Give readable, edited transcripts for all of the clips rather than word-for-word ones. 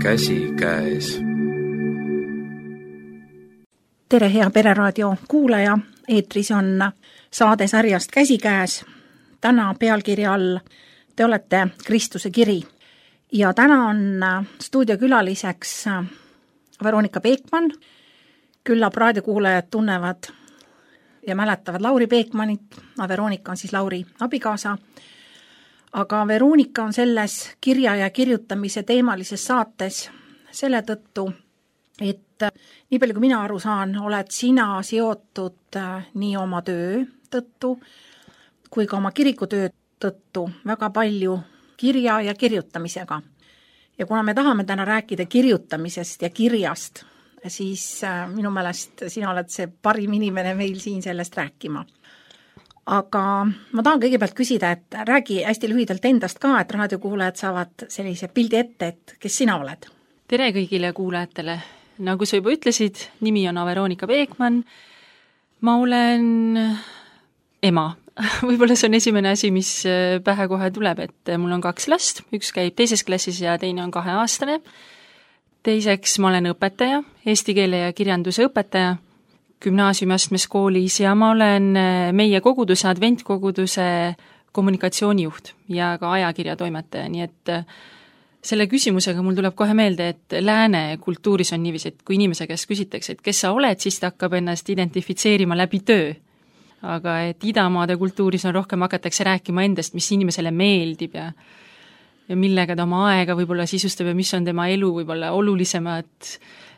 käsikäes. Tere, hea Pereraadio kuulaja! Eetris on saade sarjast Käsikäes. Täna pealkirja all Te olete Kristuse kiri. Ja täna on stuudiokülaliseks Veronika Peekman. Küllap raadiokuulajad tunnevad ja mäletavad Lauri Peekmanit. Veronika on siis Lauri abikaasa. Aga Veronika on selles kirja ja kirjutamise teemalises saates selle tõttu, et nii palju kui mina aru saan, oled sina seotud nii oma töö tõttu kui ka oma kirikutöö tõttu väga palju kirja ja kirjutamisega. Ja kuna me tahame täna rääkida kirjutamisest ja kirjast, siis minu meelest sina oled see parim inimene meil siin sellest rääkima. Aga ma tahan kõigepealt küsida, et räägi hästi lühidalt endast ka, et raadiokuulajad saavad sellise pildi ette, et kes sina oled. Tere kõigile kuulajatele. Nagu sa juba ütlesid, nimi on Veronika Peekman. Ma olen ema. Võib-olla see on esimene asi, mis pähe kohe tuleb, et mul on 2 last. Üks käib 2. klassis ja teine on 2-aastane. Teiseks ma olen õpetaja, eesti keele ja kirjanduse õpetaja gümnaasiumiastmes koolis ja ma olen meie koguduse, adventkoguduse kommunikatsioonijuht ja ka ajakirjatoimetaja, nii et selle küsimusega mul tuleb kohe meelde, et lääne kultuuris on niiviisi, et kui inimese käest küsitakse, et kes sa oled, siis ta hakkab ennast identifitseerima läbi töö. Aga et idamaade kultuuris on rohkem hakatakse rääkima endast, mis inimesele meeldib ja millega ta oma aega võib-olla sisustab ja mis on tema elu võib-olla olulisemad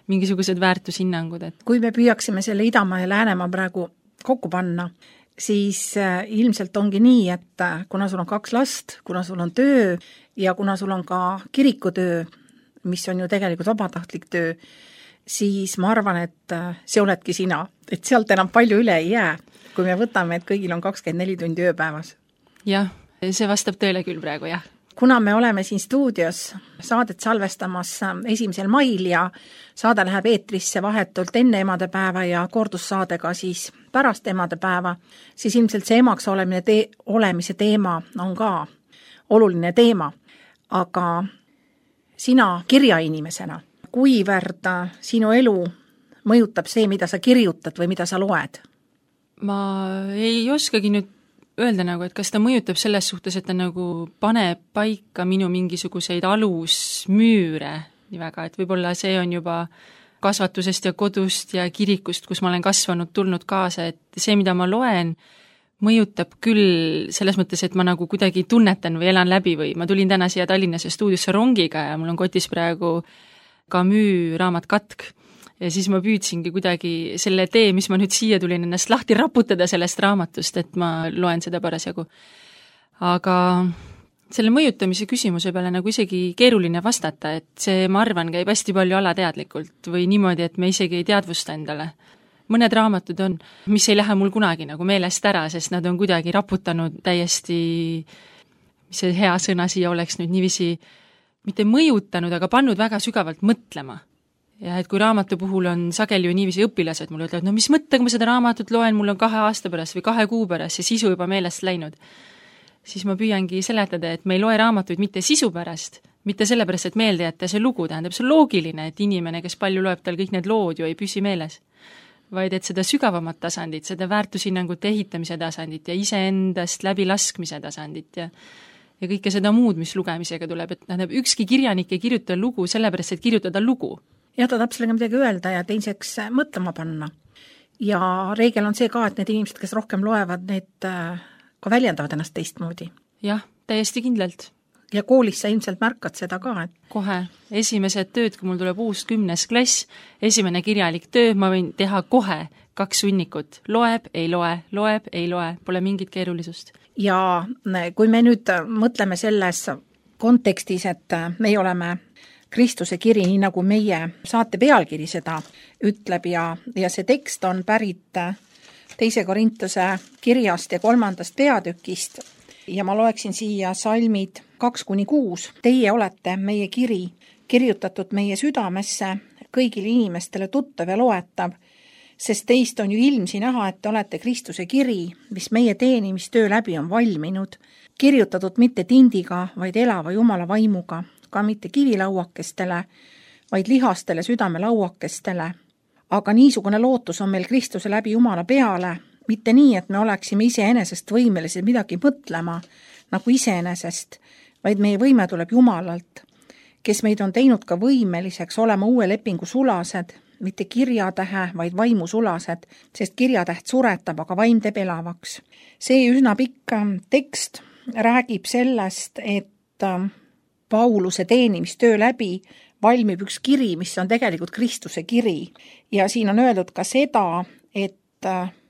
mingisugused väärtushinnangud. Et kui me püüaksime selle Idamaa ja Läänemaa praegu kokku panna, siis ilmselt ongi nii, et kuna sul on 2 last, kuna sul on töö ja kuna sul on ka kirikutöö, mis on ju tegelikult vabatahtlik töö, siis ma arvan, et see oledki sina. Et sealt enam palju üle ei jää, kui me võtame, et kõigil on 24 tundi ööpäevas. Jah, see vastab tõele küll praegu, jah. Kuna me oleme siin stuudios saadet salvestamas 1. mail ja saade läheb eetrisse vahetult enne emadepäeva ja kordussaadega siis pärast emadepäeva, siis ilmselt see emaks olemise teema on ka oluline teema. Aga sina kirjainimesena, kuivõrd sinu elu mõjutab see, mida sa kirjutad või mida sa loed? Ma ei oskagi nüüd öelda nagu, et kas ta mõjutab selles suhtes, et ta nagu paneb paika minu mingisuguseid alusmüüre nii väga, et võib-olla see on juba kasvatusest ja kodust ja kirikust, kus ma olen kasvanud, tulnud kaasa, et see, mida ma loen, mõjutab küll selles mõttes, et ma nagu kuidagi tunnetan või elan läbi või ma tulin täna siia Tallinnasse stuudiosse rongiga ja mul on kotis praegu Camus raamat Katk. Ja siis ma püüdsingi kuidagi selle tee, mis ma nüüd siia tulin ennast lahti raputada sellest raamatust, et ma loen seda parasjagu. Aga selle mõjutamise küsimuse peale nagu isegi keeruline vastata, et see, ma arvan, käib hästi palju alateadlikult või niimoodi, et me isegi ei teadvusta endale. Mõned raamatud on, mis ei lähe mul kunagi nagu meelest ära, sest nad on kuidagi raputanud täiesti, mis see hea sõna siia oleks nüüd niiviisi, mitte mõjutanud, aga pannud väga sügavalt mõtlema. Ja et kui raamatu puhul on sageli ju niiviisi õpilased mulle ütlevad, no mis mõttega ma seda raamatut loen, mul on 2 aasta pärast või 2 kuu pärast ja sisu juba meelest läinud, siis ma püüangi seletada, et me ei loe raamatuid mitte sisu pärast, mitte sellepärast, et meelde jätta see lugu, tähendab, see on loogiline, et inimene, kes palju loeb, tal kõik need lood ju ei püsi meeles, vaid et seda sügavamat tasandit, seda väärtushinnangute ehitamise tasandit ja iseendast läbi laskmise tasandit ja kõike seda muud, mis lugemisega tuleb, et tähendab, ükski kirjanik ei kirjuta lugu sellepärast, et kirjutada lugu. Ja ta tahab sellega midagi öelda ja teiseks mõtlema panna. Ja reegel on see ka, et need inimesed, kes rohkem loevad, need ka väljendavad ennast teistmoodi. Jah, täiesti kindlalt. Ja koolis sa ilmselt märkad seda ka, et kohe. Esimesed tööd, kui mul tuleb uus 10. klass, esimene kirjalik töö, ma võin teha kohe 2 sunnikut. Loeb, ei loe, pole mingit keerulisust. Ja kui me nüüd mõtleme selles kontekstis, et me oleme Kristuse kiri, nii nagu meie saate pealkiri seda ütleb ja see tekst on pärit 2. Korintuse kirjast ja 3. peatükist ja ma loeksin siia salmid 2-6. Teie olete meie kiri, kirjutatud meie südamesse, kõigile inimestele tuttav ja loetav, sest teist on ju ilmsi näha, et te olete Kristuse kiri, mis meie teenimistöö läbi on valminud, kirjutatud mitte tindiga, vaid elava Jumala vaimuga, ka mitte kivilauakestele, vaid lihastele südamelauakestele. Aga niisugune lootus on meil Kristuse läbi Jumala peale, mitte nii, et me oleksime iseenesest võimelised midagi mõtlema nagu iseenesest, vaid meie võime tuleb Jumalalt, kes meid on teinud ka võimeliseks olema uue lepingu sulased, mitte kirjatähe, vaid vaimusulased, sest kirjatäht suretab, aga vaim teeb elavaks. See üsna pikk tekst räägib sellest, et Pauluse teenimistöö läbi valmib üks kiri, mis on tegelikult Kristuse kiri. Ja siin on öeldud ka seda, et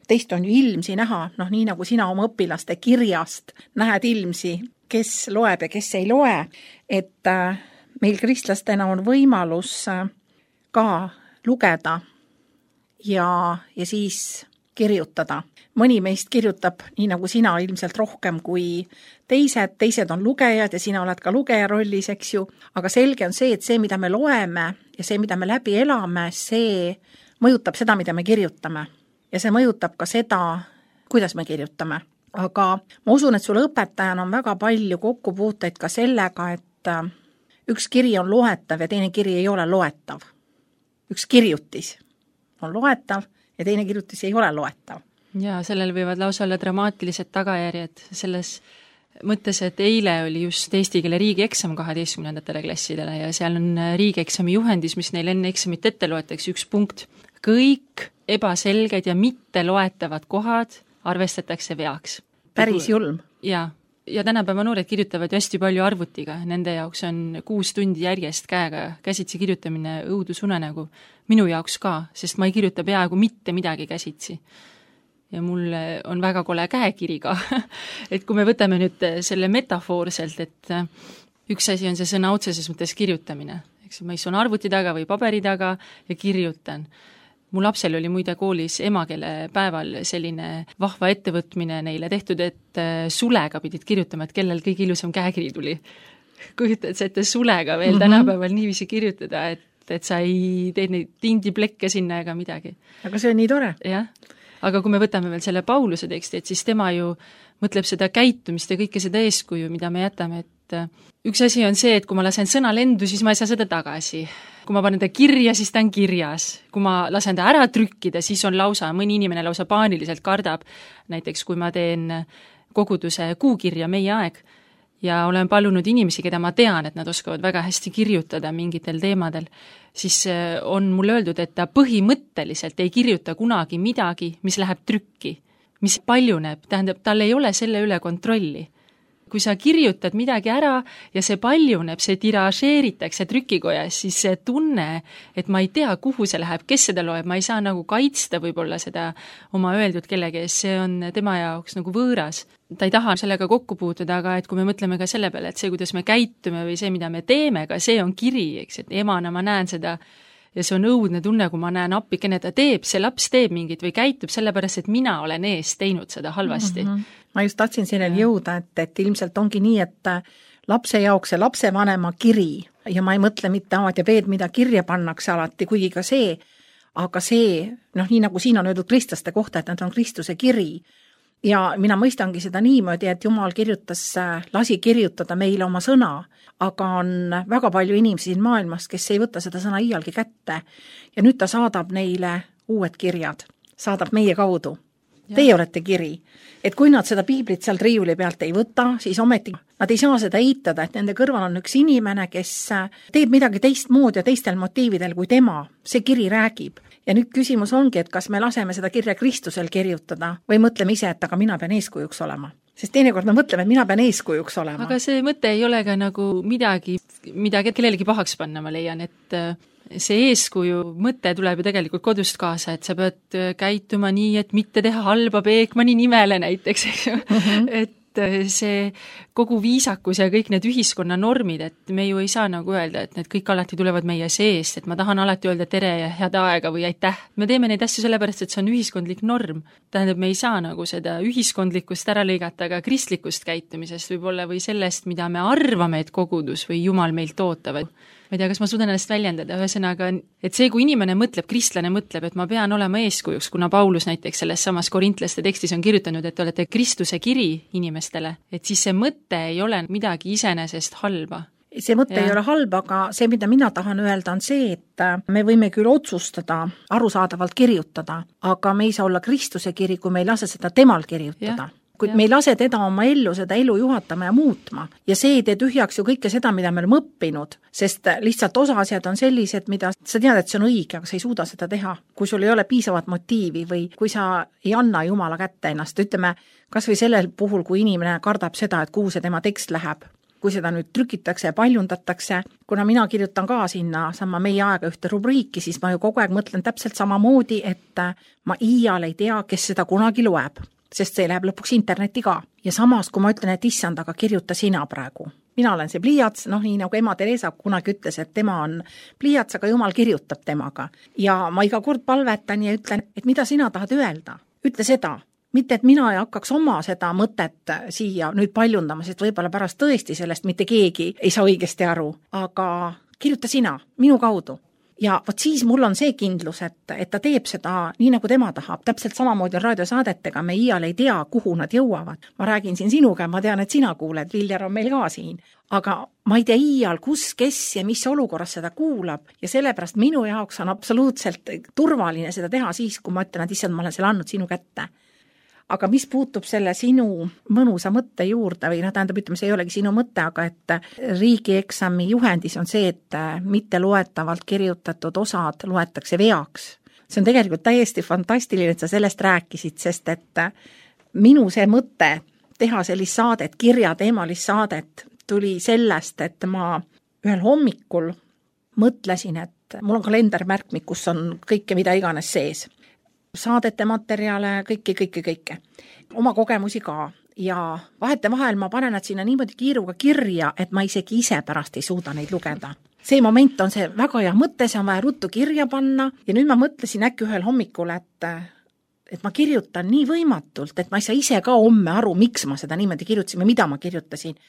teist on ju ilmsi näha, nii nagu sina oma õpilaste kirjast näed ilmsi, kes loeb ja kes ei loe, et meil kristlastena on võimalus ka lugeda ja siis kirjutada. Mõni meist kirjutab nii nagu sina ilmselt rohkem kui teised on lugejad ja sina oled ka lugeja rollis, eks ju, aga selge on see, et see, mida me loeme ja see, mida me läbi elame, see mõjutab seda, mida me kirjutame. Ja see mõjutab ka seda, kuidas me kirjutame. Aga ma usun, et sulle õpetajana on väga palju kokkupuuteid ka sellega, et üks kiri on loetav ja teine kiri ei ole loetav. Üks kirjutis on loetav ja teine kirjutis ei ole loetav. Ja sellel võivad lausa olla dramaatilised tagajärjed selles mõttes, et eile oli just eesti keele riigieksam 12. klassidele ja seal on riigieksami juhendis, mis neil enne eksamit ette loetakse, üks punkt. Kõik ebaselged ja mitte loetavad kohad arvestatakse veaks. Päris julm. Ja tänapäeva noored kirjutavad hästi palju arvutiga. Nende jaoks on 6 tundi järjest käega käsitsi kirjutamine õudusunenägu. Minu jaoks ka, sest ma ei kirjuta peaaegu mitte midagi käsitsi. Ja mul on väga kole käekiri ka. Et kui me võtame nüüd selle metafoorselt, et üks asi on see sõna otseses mõttes kirjutamine. Eks ma istun arvuti taga või paberi taga ja kirjutan. Mu lapsel oli muide koolis emakeele päeval selline vahva ettevõtmine neile tehtud, et sulega pidid kirjutama, et kellel kõige ilusam käekiri tuli. Kujutad sa ette sulega veel tänapäeval niiviisi kirjutada, et sa ei teed neid tindiplekke sinna ega midagi. Aga see on nii tore. Jah. Aga kui me võtame veel selle Pauluse teksti, et siis tema ju mõtleb seda käitumist ja kõike seda eeskuju, mida me jätame, et üks asi on see, et kui ma lasen sõna lendu, siis ma ei saa seda tagasi. Kui ma panen ta kirja, siis ta on kirjas. Kui ma lasen ta ära trükkida, siis on lausa, mõni inimene lausa paaniliselt kardab. Näiteks kui ma teen koguduse kuukirja Meie aeg ja olen palunud inimesi, keda ma tean, et nad oskavad väga hästi kirjutada mingitel teemadel, siis on mulle öeldud, et ta põhimõtteliselt ei kirjuta kunagi midagi, mis läheb trükki, mis paljuneb, tähendab, tal ei ole selle üle kontrolli. Kui sa kirjutad midagi ära ja see paljuneb, see tiražeeritakse trükikojas, siis see tunne, et ma ei tea, kuhu see läheb, kes seda loeb, ma ei saa nagu kaitsta võib-olla seda oma öeldud kellegi ees, see on tema jaoks nagu võõras. Ta ei taha sellega kokku puutuda, aga et kui me mõtleme ka selle peale, et see, kuidas me käitume või see, mida me teeme, ka see on kiri, eks, et emana ma näen seda ja see on õudne tunne, kui ma näen appikene, ta teeb, see laps teeb mingit või käitub sellepärast, et mina olen ees teinud seda halvasti. Ma just tahtsin selleni jõuda, et ilmselt ongi nii, et lapse jaoks see lapsevanema kiri ja ma ei mõtle mitte A-d ja B-d, mida kirja pannakse alati, kuigi ka see, aga see, nii nagu siin on öeldud kristlaste kohta, et nad on Kristuse kiri ja mina mõistangi seda niimoodi, et Jumal lasi kirjutada meile oma sõna, aga on väga palju inimesi siin maailmas, kes ei võta seda sõna iialgi kätte ja nüüd ta saadab neile uued kirjad, saadab meie kaudu. Teie olete kiri, et kui nad seda piiblit sealt riiuli pealt ei võta, siis ometi nad ei saa seda eitada, et nende kõrval on üks inimene, kes teeb midagi teistmoodi ja teistel motiividel kui tema. See kiri räägib. Ja nüüd küsimus ongi, et kas me laseme seda kirja Kristusel kirjutada või mõtleme ise, et aga mina pean eeskujuks olema. Sest teinekord me mõtleme, et mina pean eeskujuks olema. Aga see mõte ei ole ka nagu midagi, mida kellelegi pahaks panna, ma leian, et see eeskuju mõte tuleb ju tegelikult kodust kaasa, et sa pead käituma nii, et mitte teha halba Beekmani nimele näiteks, et see kogu viisakus ja kõik need ühiskonna normid, et me ju ei saa nagu öelda, et need kõik alati tulevad meie seest, et ma tahan alati öelda tere ja head aega või aitäh. Me teeme neid asju sellepärast, et see on ühiskondlik norm. Tähendab, me ei saa nagu seda ühiskondlikust ära lõigata, aga kristlikust käitumisest võib-olla või sellest, mida me arvame, et kogudus või Jumal meilt ootavad. Ma ei tea, kas ma suudan ennast väljendada, ühesõnaga, et see, kui inimene mõtleb, kristlane mõtleb, et ma pean olema eeskujuks, kuna Paulus näiteks selles samas korintlaste tekstis on kirjutanud, et te olete Kristuse kiri inimestele, et siis see mõte ei ole midagi iseenesest halba. see mõte ei ole halb, aga see, mida mina tahan öelda, on see, et me võime küll otsustada, arusaadavalt kirjutada, aga me ei saa olla Kristuse kiri, kui me ei lase seda temal kirjutada. Kuid me ei lase teda oma ellu, seda elu juhatama ja muutma. Ja see ei tee tühjaks ju kõike seda, mida me oleme õppinud, sest lihtsalt osa asjad on sellised, mida sa tead, et see on õige, aga sa ei suuda seda teha. Kui sul ei ole piisavat motiivi või kui sa ei anna Jumala kätte ennast, ütleme, kas või sellel puhul, kui inimene kardab seda, et kuhu see tema tekst läheb. Kui seda nüüd trükitakse ja paljundatakse, kuna mina kirjutan ka sinna sama meie aega ühte rubriiki, siis ma ju kogu aeg mõtlen täpselt samamoodi, et ma iial ei tea, kes seda kunagi loeb. Sest see läheb lõpuks internetti ka. Ja samas, kui ma ütlen, et issand, aga kirjuta sina praegu. Mina olen see pliiats, nii nagu ema Teresa kunagi ütles, et tema on pliiats, aga Jumal kirjutab temaga. Ja ma iga kord palvetan ja ütlen, et mida sina tahad öelda? Ütle seda. Mitte, et mina ei hakkaks oma seda mõtet siia nüüd paljundama, sest võib-olla pärast tõesti sellest mitte keegi ei saa õigesti aru. Aga kirjuta sina, minu kaudu. Ja vot siis mul on see kindlus, et ta teeb seda nii, nagu tema tahab. Täpselt samamoodi on raadiosaadetega, me iial ei tea, kuhu nad jõuavad. Ma räägin siin sinuga, ma tean, et sina kuuled, Viljar on meil ka siin. Aga ma ei tea iial, kus, kes ja mis olukorras seda kuulab. Ja sellepärast minu jaoks on absoluutselt turvaline seda teha siis, kui ma ütlen, et issand, ma olen selle andnud sinu kätte. Aga mis puutub selle sinu mõnusa mõtte juurde või tähendab, ütleme, see ei olegi sinu mõte, aga et riigieksami juhendis on see, et mitte loetavalt kirjutatud osad loetakse veaks. See on tegelikult täiesti fantastiline, et sa sellest rääkisid, sest et minu see mõte teha sellist saadet, kirjateemalist saadet tuli sellest, et ma ühel hommikul mõtlesin, et mul on kalendermärkmik, kus on kõike, mida iganes sees. Saadete materjale, kõike. Oma kogemusi ka. Ja vahetevahel ma panen nad sinna niimoodi kiiruga kirja, et ma isegi ise pärast ei suuda neid lugeda. See moment on see väga hea mõte, see on vaja ruttu kirja panna ja nüüd ma mõtlesin äkki ühel hommikul, et ma kirjutan nii võimatult, et ma ei saa ise ka homme aru, miks ma seda niimoodi kirjutasin või mida ma kirjutasin.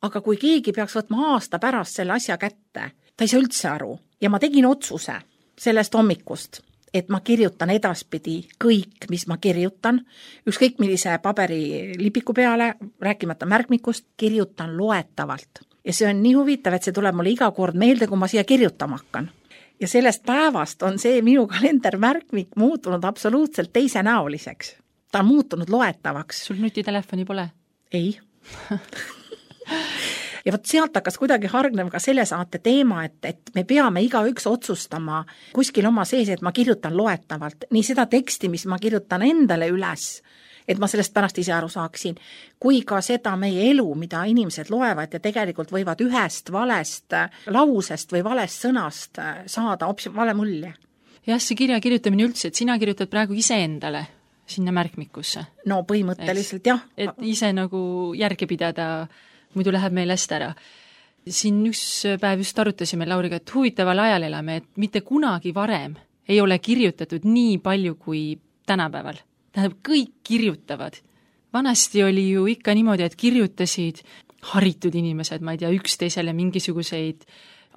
Aga kui keegi peaks võtma aasta pärast selle asja kätte, ta ei saa üldse aru. Ja ma tegin otsuse sellest hommikust, et ma kirjutan edaspidi kõik, mis ma kirjutan, ükskõik millise paberilipiku peale, rääkimata märkmikust, kirjutan loetavalt. Ja see on nii huvitav, et see tuleb mulle iga kord meelde, kui ma siia kirjutama hakkan. Ja sellest päevast on see minu kalendermärkmik muutunud absoluutselt teisenäoliseks. Ta on muutunud loetavaks. Sul nutitelefoni pole? Ei. Ja vot sealt hakkas kuidagi hargnev ka selle saate teema, et me peame igaüks otsustama kuskil oma sees, et ma kirjutan loetavalt. Nii seda teksti, mis ma kirjutan endale üles, et ma sellest pärast ise aru saaksin, kui ka seda meie elu, mida inimesed loevad ja tegelikult võivad ühest valest lausest või valest sõnast saada hoopis vale mulje. Jah, see kirja kirjutamine üldse, et sina kirjutad praegu ise endale sinna märkmikusse. No põhimõtteliselt jah. Et ise nagu järgi pidada, muidu läheb meil hästi ära. Siin üks päev just arutasime Lauriga, et huvitaval ajal elame, et mitte kunagi varem ei ole kirjutatud nii palju kui tänapäeval. Tähendab, kõik kirjutavad. Vanasti oli ju ikka niimoodi, et kirjutasid haritud inimesed, ma ei tea, üksteisele mingisuguseid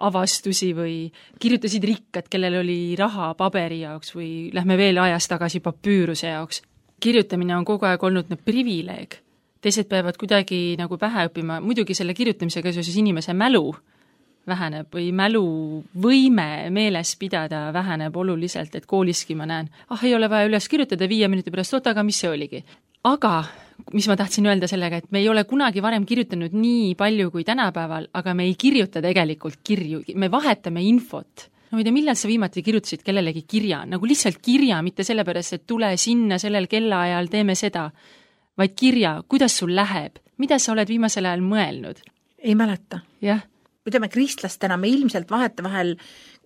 avastusi või kirjutasid rikkad, kellel oli raha paberi jaoks või lähme veel ajas tagasi papüüruse jaoks. Kirjutamine on kogu aeg olnud privileeg. Teised peavad kuidagi nagu pähe õppima, muidugi selle kirjutamisega seoses inimese mälu väheneb või mäluvõime meeles pidada väheneb oluliselt, et kooliski ma näen, ei ole vaja üles kirjutada 5 minuti pärast, aga mis see oligi. Aga, mis ma tahtsin öelda sellega, et me ei ole kunagi varem kirjutanud nii palju kui tänapäeval, aga me ei kirjuta tegelikult kirju, me vahetame infot. No ma ei tea, millal sa viimati kirjutasid kellelegi kirja, nagu lihtsalt kirja, mitte sellepärast, et tule sinna sellel kellaajal, teeme seda, vaid kirja, kuidas sul läheb, mida sa oled viimasel ajal mõelnud? Ei mäleta. Jah. Ütleme, kristlastena me ilmselt vahetevahel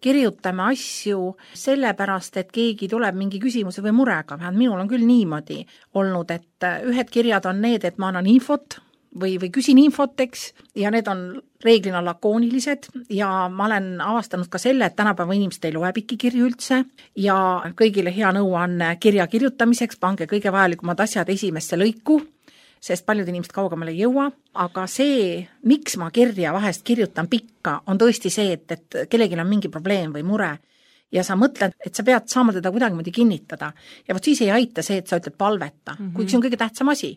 kirjutame asju sellepärast, et keegi tuleb mingi küsimuse või murega. Minul on küll niimoodi olnud, et ühed kirjad on need, et ma annan infot või küsin infot, eks, ja need on reeglina lakoonilised ja ma olen avastanud ka selle, et tänapäeva inimesed ei loe pikki kirju üldse ja kõigile hea nõuanne kirja kirjutamiseks, pange kõige vajalikumad asjad esimesse lõiku, sest paljud inimesed kaugemale ei jõua, aga see, miks ma kirja vahest kirjutan pikka, on tõesti see, et kellelgi on mingi probleem või mure ja sa mõtled, et sa pead saama teda kuidagimoodi kinnitada ja vot siis ei aita see, et sa ütled palveta, kuigi see on kõige tähtsam asi,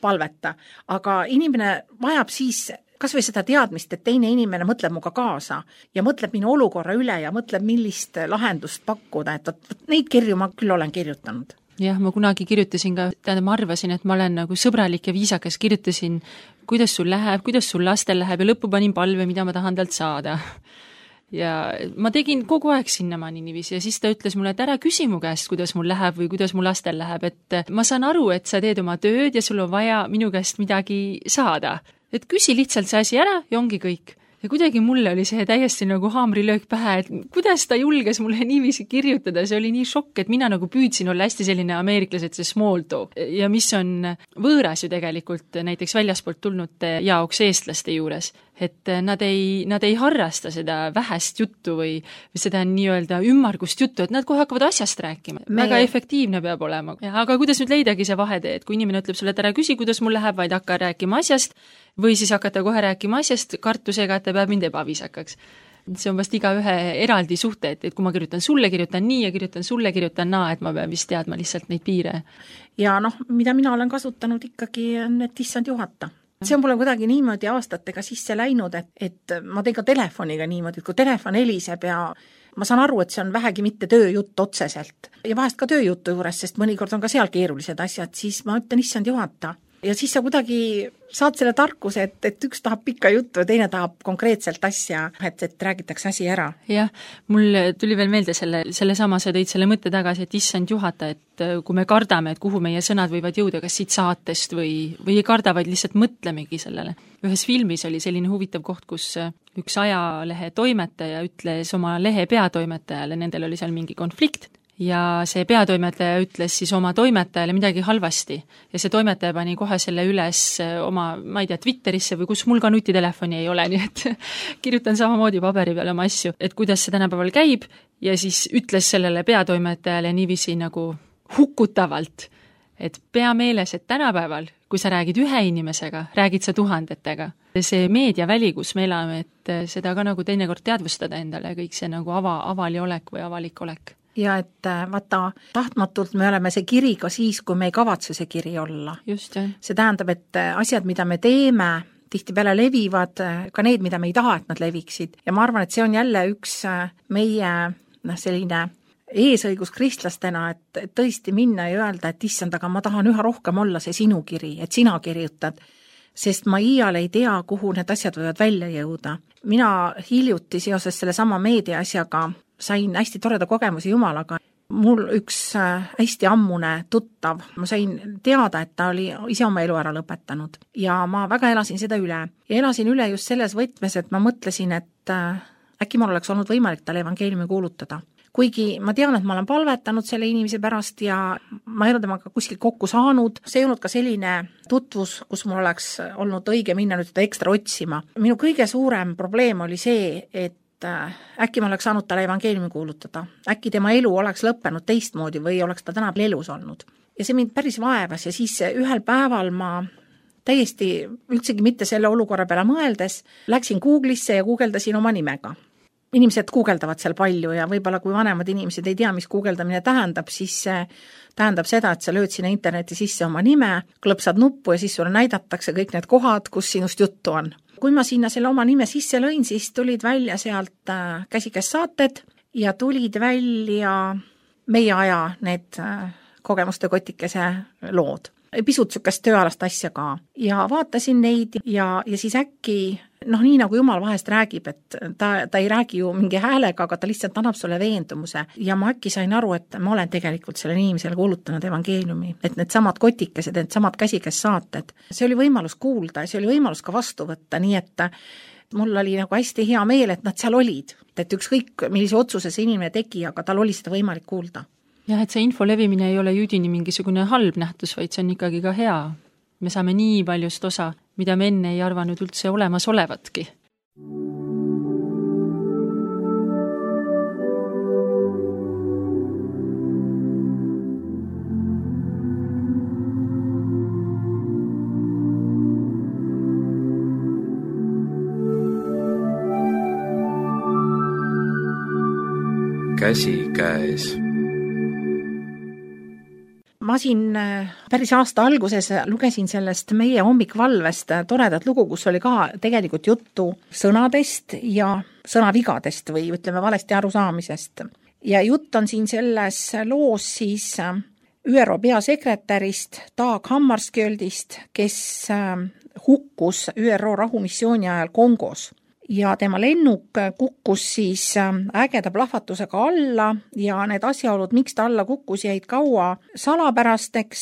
palveta, aga inimene vajab siis kas või seda teadmist, et teine inimene mõtleb muga kaasa ja mõtleb minu olukorra üle ja mõtleb, millist lahendust pakkuda, et neid kirju ma küll olen kirjutanud. Jah, ma kunagi kirjutasin ka, ma arvasin, et ma olen nagu sõbralik ja viisakas, kirjutasin, kuidas sul läheb, kuidas sul lastel läheb ja lõppu panin palve, mida ma tahan talt saada. Ja ma tegin kogu aeg sinnamaani niiviisi ja siis ta ütles mulle, et ära küsi mu käest, kuidas mul läheb või kuidas mu lastel läheb, et ma saan aru, et sa teed oma tööd ja sul on vaja minu käest midagi saada. Et küsi lihtsalt see asi ära ja ongi kõik. Ja kuidagi mulle oli see täiesti nagu haamrilöök pähe, et kuidas ta julges mulle niiviisi kirjutada, see oli nii šokk, et mina nagu püüdsin olla hästi selline ameeriklased, see small talk. Ja mis on võõras ju tegelikult näiteks väljaspoolt tulnud jaoks eestlaste juures, et nad ei harrasta seda vähest juttu või seda nii-öelda ümmargust juttu, et nad kohe hakkavad asjast rääkima. Väga efektiivne peab olema. Aga kuidas nüüd leidagi see vahetee, et kui inimene ütleb sulle, et ära küsi, kuidas mul läheb, vaid hakka rääkima asjast, või siis hakata kohe rääkima asjast kartusega, et ta peab mind ebaviisakaks. See on vast igaühe eraldi suhte, et kui ma kirjutan sulle, kirjutan nii ja kirjutan sulle, kirjutan naa, et ma pean vist teadma lihtsalt neid piire. Ja mida mina olen kasutanud ikkagi on, et issand juhata. See on mulle kuidagi niimoodi aastatega sisse läinud, et ma teen ka telefoniga niimoodi, et kui telefon heliseb ja ma saan aru, et see on vähegi mitte tööjutt otseselt. Ja vahest ka tööjutu juures, sest mõnikord on ka seal keerulised asjad, siis ma ütlen issand juhata. Ja siis sa kuidagi saad selle tarkuse, et üks tahab pikka juttu ja teine tahab konkreetselt asja, et räägitakse asi ära. Jah, mul tuli veel meelde selle sama, sa tõid selle mõtte tagasi, et issand juhata, et kui me kardame, et kuhu meie sõnad võivad jõuda, kas siit saatest või ei karda, vaid lihtsalt mõtlemegi sellele. Ühes filmis oli selline huvitav koht, kus üks ajalehe toimetaja ütles oma lehe peatoimetajale, nendel oli seal mingi konflikt, ja see peatoimetaja ütles siis oma toimetajale midagi halvasti ja see toimetaja pani kohe selle üles oma, ma ei tea, Twitterisse või kus mul ka nutitelefoni ei ole, nii et kirjutan samamoodi paberi peale oma asju, et kuidas see tänapäeval käib ja siis ütles sellele peatoimetajale niiviisi nagu hukutavalt, et pea meeles, et tänapäeval, kui sa räägid ühe inimesega, räägid sa tuhandetega. See meediaväli, kus me elame, et seda ka nagu teinekord teadvustada endale, kõik see nagu avali olek või avalik olek. Ja et vaata, tahtmatult me oleme see kiri ka siis, kui me ei kavatse see kiri olla. Just, jah. See tähendab, et asjad, mida me teeme, tihtipeale levivad, ka need, mida me ei taha, et nad leviksid. Ja ma arvan, et see on jälle üks meie selline eesõigus kristlastena, et tõesti minna ja öelda, et issand, aga ma tahan üha rohkem olla see sinu kiri, et sina kirjutad, sest ma iial ei tea, kuhu need asjad võivad välja jõuda. Mina hiljuti seoses selle sama meedia asjaga sain hästi toreda kogemusi Jumalaga. Mul üks hästi ammune tuttav, ma sain teada, et ta oli ise oma elu ära lõpetanud ja ma väga elasin seda üle. Ja elasin üle just selles võtmes, et ma mõtlesin, et äkki mul oleks olnud võimalik talle evangeeliumi kuulutada. Kuigi ma tean, et ma olen palvetanud selle inimese pärast ja ma ei ole temaga kuskil kokku saanud, see ei olnud ka selline tutvus, kus mul oleks olnud õige minna nüüd seda ekstra otsima. Minu kõige suurem probleem oli see, et äkki ma oleks saanud talle evangeeliumi kuulutada. Äkki tema elu oleks lõppenud teistmoodi või oleks ta tänapäeval elus olnud. Ja see mind päris vaevas ja siis ühel päeval ma täiesti üldsegi mitte selle olukorra peale mõeldes läksin Google'isse ja guugeldasin oma nimega. Inimesed guugeldavad seal palju ja võib-olla kui vanemad inimesed ei tea, mis guugeldamine tähendab, siis tähendab seda, et sa lööd sinna interneti sisse oma nime, klõpsad nuppu ja siis sulle näidatakse kõik need kohad, kus sinust juttu on. Kui ma sinna selle oma nime sisse lõin, siis tulid välja sealt käsikäes saated ja tulid välja meie aja need kogemuste kotikese lood. Pisut sükest tööalast asja ka. Ja vaatasin neid ja siis äkki, nii nagu Jumal vahest räägib, et ta ei räägi ju mingi häälega, aga ta lihtsalt annab sulle veendumuse. Ja ma äkki sain aru, et ma olen tegelikult selle inimesele kuulutanud evangeeliumi, et need samad kotikesed, need samad käsikäes saated. See oli võimalus kuulda ja see oli võimalus ka vastu võtta, nii et mul oli nagu hästi hea meel, et nad seal olid. Et ükskõik, millise otsuse see inimene tegi, aga tal oli seda võimalik kuulda. Jah, et see info levimine ei ole jüdini mingisugune halb nähtus, vaid see on ikkagi ka hea. Me saame nii paljust osa, mida me enne ei arvanud üldse olemas olevatki. Käsikäes. ma siin päris aasta alguses lugesin sellest meie hommikvalvest toredat lugu, kus oli ka tegelikult juttu sõnadest ja sõnavigadest või ütleme valesti arusaamisest. Ja jutt on siin selles loos siis ÜRO peasekretärist Dag Hammarskjöldist, kes hukkus ÜRO rahumissiooni ajal Kongos. Ja tema lennuk kukkus siis ägeda plahvatusega alla ja need asjaolud, miks ta alla kukkus, jäid kaua salapärasteks,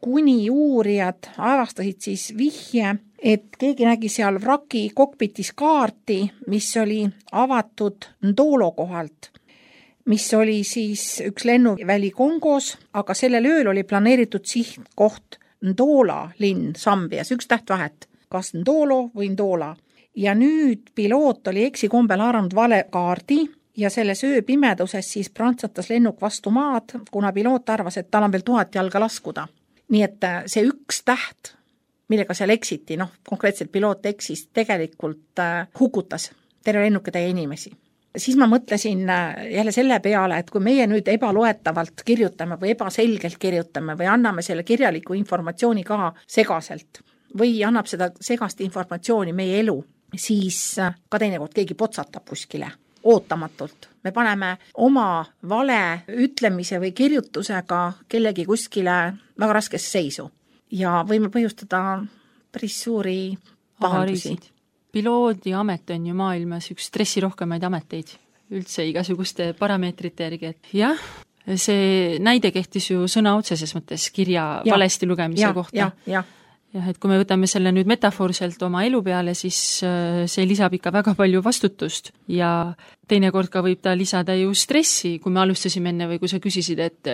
kuni uurijad avastasid siis vihje, et keegi nägi seal vraki kokpitis kaarti, mis oli avatud Ndolo kohalt, mis oli siis üks lennuväli Kongos, aga sellel ööl oli planeeritud sihtkoht Ndola linn Sambias, üks tähtvahet, kas Ndolo või Ndola. Ja nüüd piloot oli eksikombel haaranud vale kaardi ja selles ööpimeduses siis prantsatas lennuk vastu maad, kuna piloot arvas, et tal on veel 1000 jalga laskuda. Nii et see üks täht, millega seal eksiti, konkreetselt piloot eksis, tegelikult hukutas terve lennukitäie inimesi. Siis ma mõtlesin jälle selle peale, et kui meie nüüd ebaloetavalt kirjutame või ebaselgelt kirjutame või anname selle kirjaliku informatsiooni ka segaselt või annab seda segast informatsiooni meie elu, siis ka teinekord keegi potsatab kuskile ootamatult. Me paneme oma vale ütlemise või kirjutusega kellegi kuskile väga raskesse seisu ja võime põhjustada päris suuri pahandusi. Piloodi amet on ju maailmas üks stressirohkemaid ameteid üldse igasuguste parameetrite järgi, et jah, see näide kehtis ju sõna otseses mõttes kirja valesti lugemise kohta. Jah, et kui me võtame selle nüüd metafoorselt oma elu peale, siis see lisab ikka väga palju vastutust ja teinekord ka võib ta lisada ju stressi, kui me alustasime enne või kui sa küsisid, et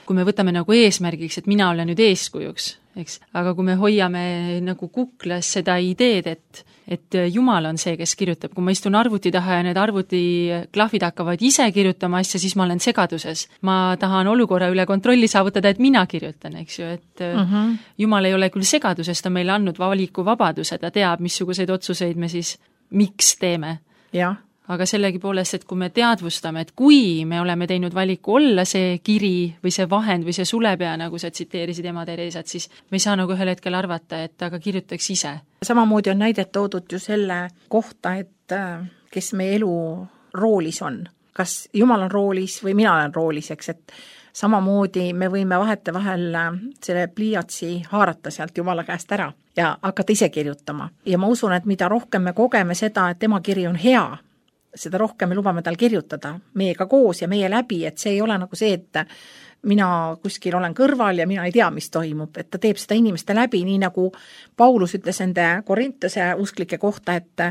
kui me võtame nagu eesmärgiks, et mina olen nüüd eeskujuks, eks, aga kui me hoiame nagu kuklas seda ideed, et Jumal on see, kes kirjutab, kui ma istun arvuti taha ja need arvutiklahvid hakkavad ise kirjutama asja, siis ma olen segaduses. Ma tahan olukorra üle kontrolli saavutada, et mina kirjutan, eks ju, et Jumal ei ole küll segaduses, ta meile andnud valikuvabaduse, ta teab, missuguseid otsuseid me siis miks teeme. Jah. Aga sellegipoolest, et kui me teadvustame, et kui me oleme teinud valiku olla see kiri või see vahend või see sulepea, nagu sa tsiteerisid ema Teresat, siis me ei saa nagu ühel hetkel arvata, et aga kirjutaks ise. Samamoodi on näidet toodud ju selle kohta, et kes meie elu roolis on. Kas Jumal on roolis või mina olen roolis, eks, et samamoodi me võime vahetevahel selle pliiatsi haarata sealt Jumala käest ära ja hakata ise kirjutama. Ja ma usun, et mida rohkem me kogeme seda, et tema kiri on hea, seda rohkem me lubame tal kirjutada meiega koos ja meie läbi, et see ei ole nagu see, et mina kuskil olen kõrval ja mina ei tea, mis toimub, et ta teeb seda inimeste läbi, nii nagu Paulus ütles ende Korintuse usklike kohta, et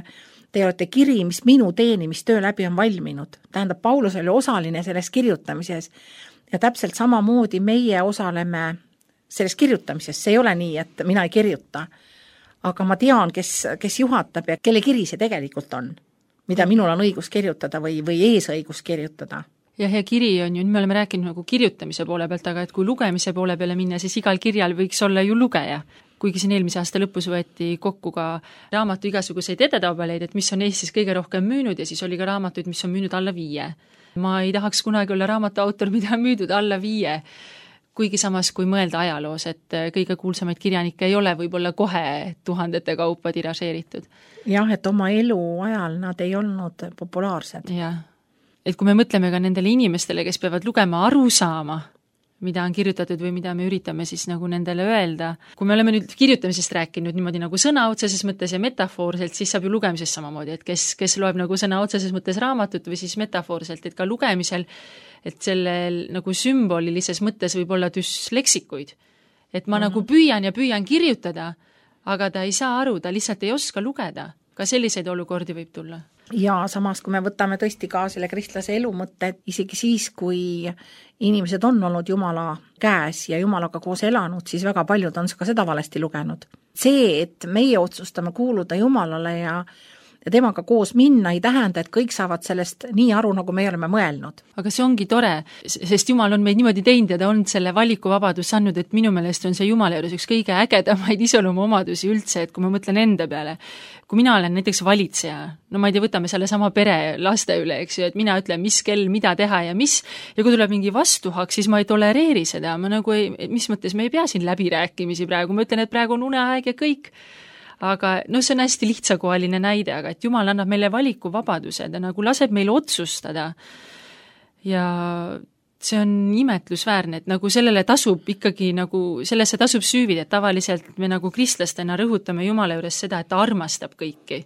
te olete kiri, mis minu teenimistöö läbi on valminud. Tähendab, Paulus oli osaline selles kirjutamises ja täpselt samamoodi meie osaleme selles kirjutamises. See ei ole nii, et mina ei kirjuta, aga ma tean, kes juhatab ja kelle kiri see tegelikult on, mida minul on õigus kirjutada või eesõigus kirjutada. Ja kiri on ju, me oleme rääkinud nagu kirjutamise poole pealt, aga et kui lugemise poole peale minna, siis igal kirjal võiks olla ju lugeja. Kuigi siin eelmise aasta lõpus võeti kokku ka raamatu igasuguseid edetabeleid, et mis on Eestis kõige rohkem müünud ja siis oli ka raamatuid, mis on müünud alla 5. Ma ei tahaks kunagi olla raamatu autor, mida on müüdud alla 5. Kuigi samas, kui mõelda ajaloos, et kõige kuulsamaid kirjanikke ei ole võib-olla kohe 1000 kaupa tiražeeritud. Jah, et oma elu ajal nad ei olnud populaarsed. Jah, et kui me mõtleme ka nendele inimestele, kes peavad lugema aru saama, mida on kirjutatud või mida me üritame siis nagu nendele öelda. Kui me oleme nüüd kirjutamisest rääkinud niimoodi nagu sõna otseses mõttes ja metafoorselt, siis saab ju lugemisest samamoodi, et kes loeb nagu sõna otseses mõttes raamatut või siis metafoorselt, et ka lugemisel, et sellel nagu sümbolilises mõttes võib olla düsleksikuid. Et ma nagu püüan kirjutada, aga ta ei saa aru, ta lihtsalt ei oska lugeda. Ka selliseid olukordi võib tulla. Ja samas, kui me võtame tõesti ka selle kristlase elu mõtte, isegi siis, kui inimesed on olnud Jumala käes ja Jumalaga koos elanud, siis väga paljud on ka seda valesti lugenud. See, et meie otsustame kuuluda Jumalale ja ja temaga koos minna, ei tähenda, et kõik saavad sellest nii aru, nagu me oleme mõelnud. Aga see ongi tore, sest Jumal on meid niimoodi teinud ja ta on selle valikuvabadus andnud, et minu meelest on see Jumala juures üks kõige ägedamaid iseloomuomadusi üldse, et kui ma mõtlen enda peale, kui mina olen näiteks valitseja, no ma ei tea, võtame selle sama pere laste üle, eks ju, et mina ütlen, mis kell, mida teha ja mis, ja kui tuleb mingi vastuhak, siis ma ei tolereeri seda, ma nagu ei, mis mõttes me ei pea siin läbirääkimisi praegu, ma ütlen, et praegu on uneaeg ja kõik. Aga no see on hästi lihtsakohaline näide, aga et Jumal annab meile valikuvabaduse, ta nagu laseb meil otsustada ja see on imetlusväärne, et nagu sellele tasub ikkagi nagu, sellesse tasub süüvida, et tavaliselt me nagu kristlastena rõhutame Jumala juures seda, et ta armastab kõiki.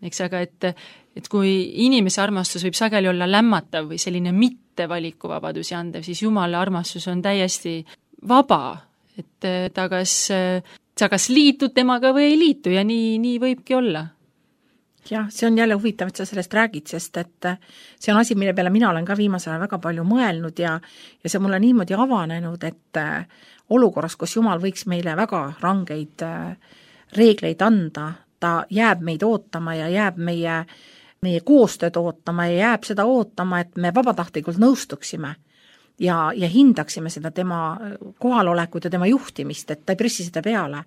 Eks, aga et kui inimese armastus võib sageli olla lämmatav või selline mitte valikuvabadusi andev, siis Jumala armastus on täiesti vaba, et sa kas liitud temaga või ei liitu ja nii võibki olla. Jah, see on jälle huvitav, et sa sellest räägid, sest et see on asi, mille peale mina olen ka viimasel ajal väga palju mõelnud ja see mulle niimoodi avanenud, et olukorras, kus Jumal võiks meile väga rangeid reegleid anda, ta jääb meid ootama ja jääb meie koostööd ootama ja jääb seda ootama, et me vabatahtlikult nõustuksime ja hindaksime seda tema kohalolekut ja tema juhtimist, et ta ei pressi seda peale.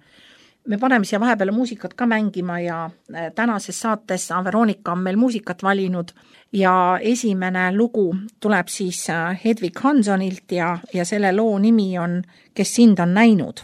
Me paneme siia vahepeale muusikat ka mängima ja tänases saates Veronika on meil muusikat valinud ja esimene lugu tuleb siis Hedvig Hansonilt ja selle loo nimi on Kes sind on näinud.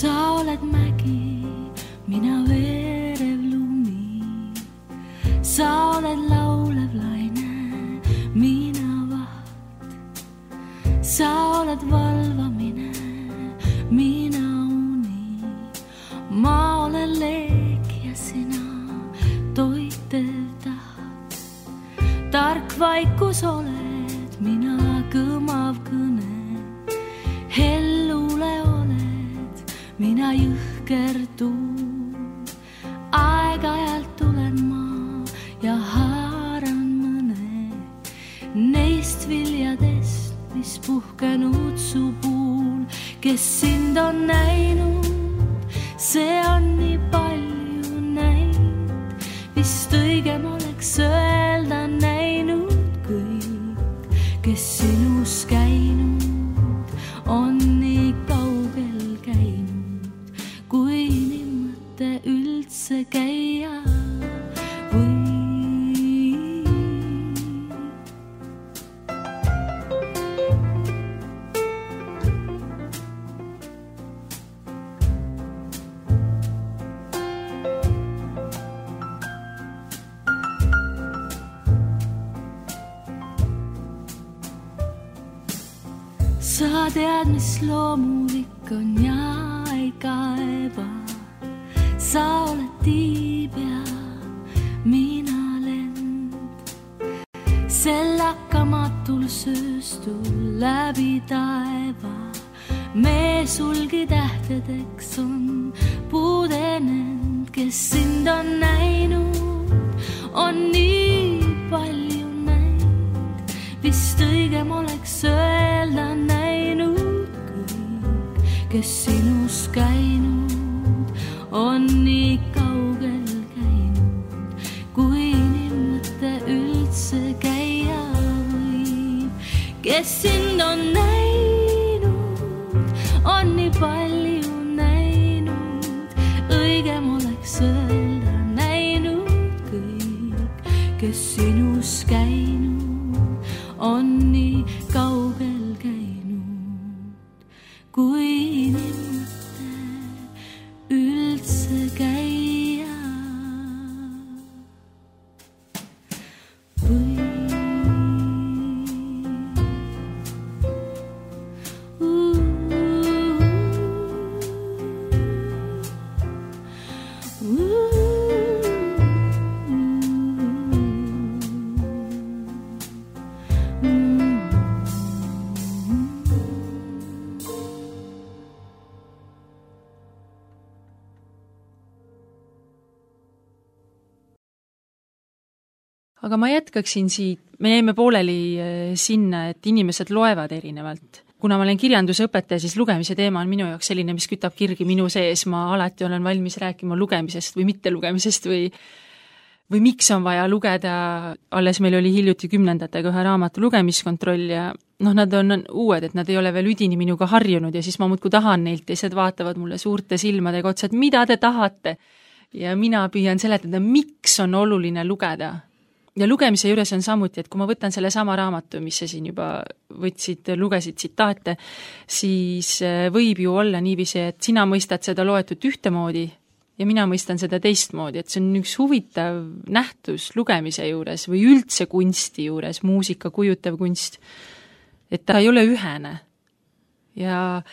Sa oled mägi, mina veerev lumi. Sa oled laulev laine, mina vaht. Sa oled valvamine, mina uni. Ma olen leek ja sina toitev taht. Tark vaikus oled, mina kõmav kõne. Hellule mina jõhker tuul, aeg-ajalt tulen ma ja haaran mõne neist viljadest, mis puhkenud su puul. Kes sind on näinud, see on nii palju näinud, vist õigem oleks öelda näinud kõik, kes sinus käinud on nii kaugel käinud. Kui nimmõte üldse käia või. Sa tead, mis loomulik on ja ei kaeba. Sa oled tiib ja mina lend. Sel hakkamatul sööstul läbi taeva. Me sulgi tähtedeks on puudenend. Kes sind on näinud, on nii palju näinud. Vist õigem oleks öelda näinud kõik, kes sinus käinud on nii kaugel käinud. Kui nimmõte üldse käia võib, kes sind on näinud, on nii palju näinud. Õigem oleks öelda näinud kõik, kes sinus käinud on nii kaugel käinud. Kui nimmõte üldse käia või. Aga ma jätkaksin siit, me jäime pooleli sinna, et inimesed loevad erinevalt. Kuna ma olen kirjandusõpetaja, siis lugemise teema on minu jaoks selline, mis kütab kirgi minu sees, ma alati olen valmis rääkima lugemisest või mitte lugemisest või miks on vaja lugeda, alles meil oli hiljuti 10. ühe raamatu lugemiskontroll ja nad on uued, et nad ei ole veel üdini minuga harjunud ja siis ma muudkui tahan neilt ja teised vaatavad mulle suurte silmadega otsa, et mida te tahate. Ja mina püüan seletada, miks on oluline lugeda. Ja lugemise juures on samuti, et kui ma võtan selle sama raamatu, mis sa siin juba lugesid tsitaate, siis võib ju olla niiviisi, et sina mõistad seda loetut ühtemoodi ja mina mõistan seda teistmoodi, et see on üks huvitav nähtus lugemise juures või üldse kunsti juures, muusika, kujutav kunst, et ta ei ole ühene. Ja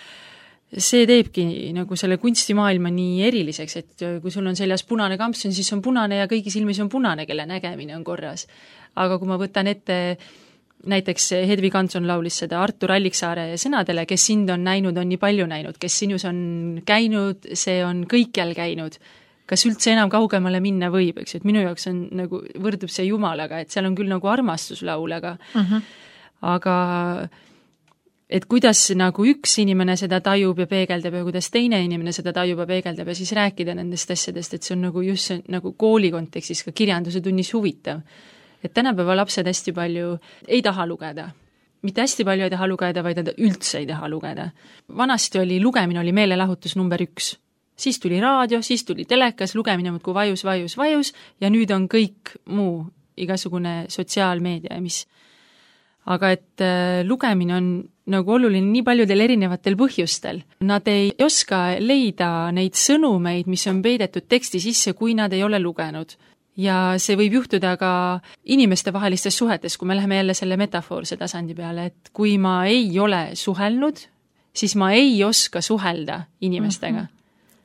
see teebki nagu selle kunstimaailma nii eriliseks, et kui sul on seljas punane kampsun, siis on punane ja kõigi silmis on punane, kelle nägemine on korras. Aga kui ma võtan ette, näiteks Hedvig Hansson laulis seda Artur Alliksaare sõnadele, kes sind on näinud, on nii palju näinud, kes sinus on käinud, see on kõikjal käinud. Kas üldse enam kaugemale minna võib, eks, et minu jaoks on nagu, võrdub see Jumalaga, et seal on küll nagu armastuslaul, aga et kuidas nagu üks inimene seda tajub ja peegeldab ja kuidas teine inimene seda tajub ja peegeldab ja siis rääkida nendest asjadest, et see on nagu just see, nagu kooli kontekstis ka kirjanduse tunnis huvitav. Et tänapäeva lapsed hästi palju ei taha lugeda. Mitte hästi palju ei taha lugeda, vaid nad üldse ei taha lugeda. Vanasti oli lugemine oli meelelahutus number 1. Siis tuli raadio, siis tuli telekas, lugemine muudkui vajus ja nüüd on kõik muu, igasugune sotsiaalmeedia ja mis. Aga et lugemine on nagu oluline nii paljudel erinevatel põhjustel. Nad ei oska leida neid sõnumeid, mis on peidetud teksti sisse, kui nad ei ole lugenud. Ja see võib juhtuda ka inimeste vahelistes suhetes, kui me läheme jälle selle metafoorse tasandi peale, et kui ma ei ole suhelnud, siis ma ei oska suhelda inimestega.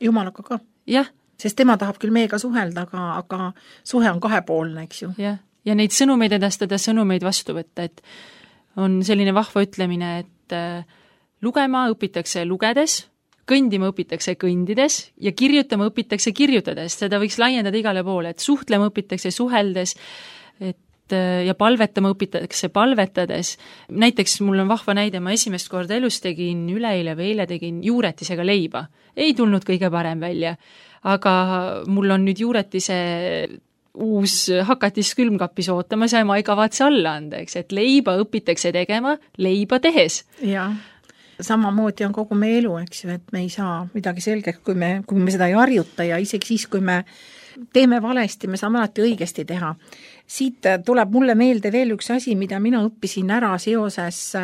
Jumalaga ka. Jah. Sest tema tahab küll meiega suhelda, aga suhe on kahepoolne, eks ju. Jah. Ja neid sõnumeid edastada, sõnumeid vastu võtta, et on selline vahva ütlemine, et lugema õpitakse lugedes, kõndima õpitakse kõndides ja kirjutama õpitakse kirjutades. Seda võiks laiendada igale poole, et suhtlema õpitakse suheldes ja palvetama õpitakse palvetades. Näiteks mul on vahva näide, ma esimest korda elus tegin üleeile või eile tegin juuretisega leiba. Ei tulnud kõige parem välja, aga mul on nüüd juuretise uus hakatis külmkapis ootamas ja ma ei kavatse alla anda, eks, et leiba õpitakse tegema leiba tehes. Jah, samamoodi on kogu meie elu, eks ju, et me ei saa midagi selgeks, kui me seda ei harjuta ja isegi siis, kui me teeme valesti, me saame alati õigesti teha. Siit tuleb mulle meelde veel üks asi, mida mina õppisin ära seoses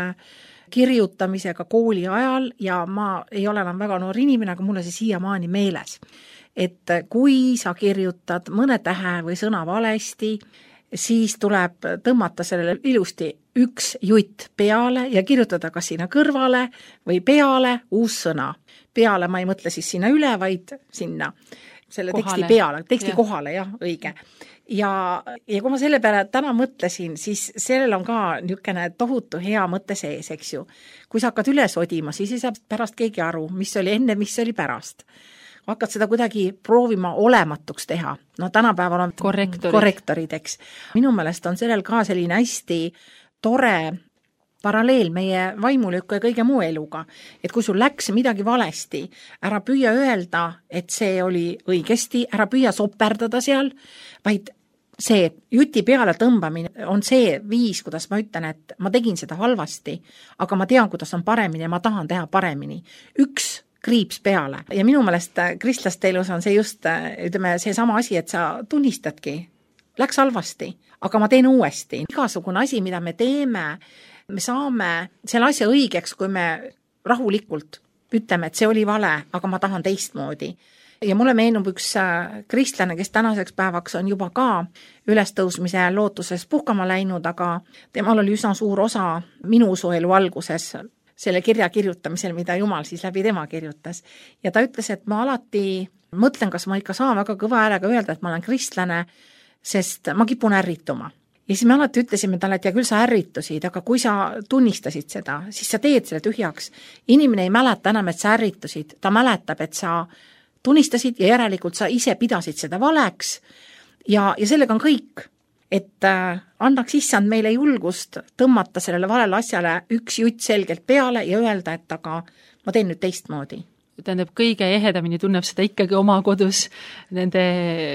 kirjutamisega kooli ajal ja ma ei ole enam väga noor inimene, aga mulle see siiamaani meeles. Et kui sa kirjutad mõne tähe või sõna valesti, siis tuleb tõmmata sellele ilusti üks jutt peale ja kirjutada kas sinna kõrvale või peale uus sõna. Peale ma ei mõtle siis sinna üle, vaid sinna selle teksti peale, teksti kohale, jah, õige. Ja kui ma selle peale täna mõtlesin, siis sellel on ka niisugune tohutu hea mõte sees, eks ju. Kui sa hakkad üles odima, siis ei saa pärast keegi aru, mis oli enne, mis oli pärast. Hakkad seda kuidagi proovima olematuks teha. No tänapäeval on korrektorid, eks. Minu meelest on sellel ka selline hästi tore paralleel meie vaimulükka ja kõige muu eluga. Et kui sul läks midagi valesti, ära püüa öelda, et see oli õigesti, ära püüa soperdada seal, vaid see juti peale tõmbamine on see viis, kuidas ma ütlen, et ma tegin seda halvasti, aga ma tean, kuidas on paremini ja ma tahan teha paremini. Üks kriips peale. Ja minu meelest kristlaste elus on see just, ütleme, see sama asi, et sa tunnistadki, läks halvasti, aga ma teen uuesti. Igasugune asi, mida me teeme, me saame selle asja õigeks, kui me rahulikult ütleme, et see oli vale, aga ma tahan teistmoodi. Ja mulle meenub üks kristlane, kes tänaseks päevaks on juba ka ülestõusmise lootuses puhkama läinud, aga temal oli üsna suur osa minu usuelu alguses selle kirja kirjutamisel, mida Jumal siis läbi tema kirjutas. Ja ta ütles, et ma alati mõtlen, kas ma ikka saan väga kõva häälega öelda, et ma olen kristlane, sest ma kipun ärrituma. Ja siis me alati ütlesime talle, et ja küll sa ärritusid, aga kui sa tunnistasid seda, siis sa teed selle tühjaks. Inimene ei mäleta enam, et sa ärritusid, ta mäletab, et sa tunnistasid ja järelikult sa ise pidasid seda valeks ja sellega on kõik. et annaks issand meile julgust tõmmata sellele valele asjale üks jutt selgelt peale ja öelda, et aga ma teen nüüd teistmoodi. Tähendab, kõige ehedamini tunneb seda ikkagi oma kodus nende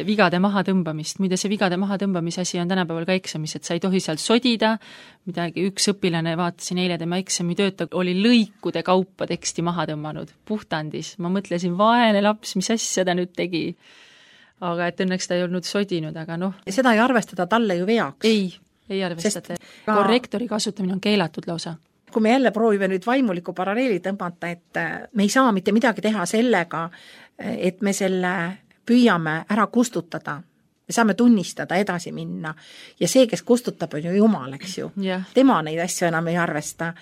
vigade mahatõmbamist. Muide, see vigade mahatõmbamise asi on tänapäeval ka eksamis, et sa ei tohi sealt sodida, midagi üks õpilane, vaatasin eile tema eksamitööta, oli lõikude kaupa teksti maha tõmmanud, puhtandis. Ma mõtlesin, vaene laps, mis asja ta nüüd tegi. Aga et õnneks ta ei olnud sodinud, aga noh. Seda ei arvestada talle ju veaks. Ei arvestada. Korrektori kasutamine on keelatud lausa. Kui me jälle proovime nüüd vaimuliku paralleeli tõmmata, et me ei saa mitte midagi teha sellega, et me selle püüame ära kustutada. Me saame tunnistada, edasi minna. Ja see, kes kustutab, on ju Jumal, eks ju. Yeah. Tema neid asju enam ei arvesta.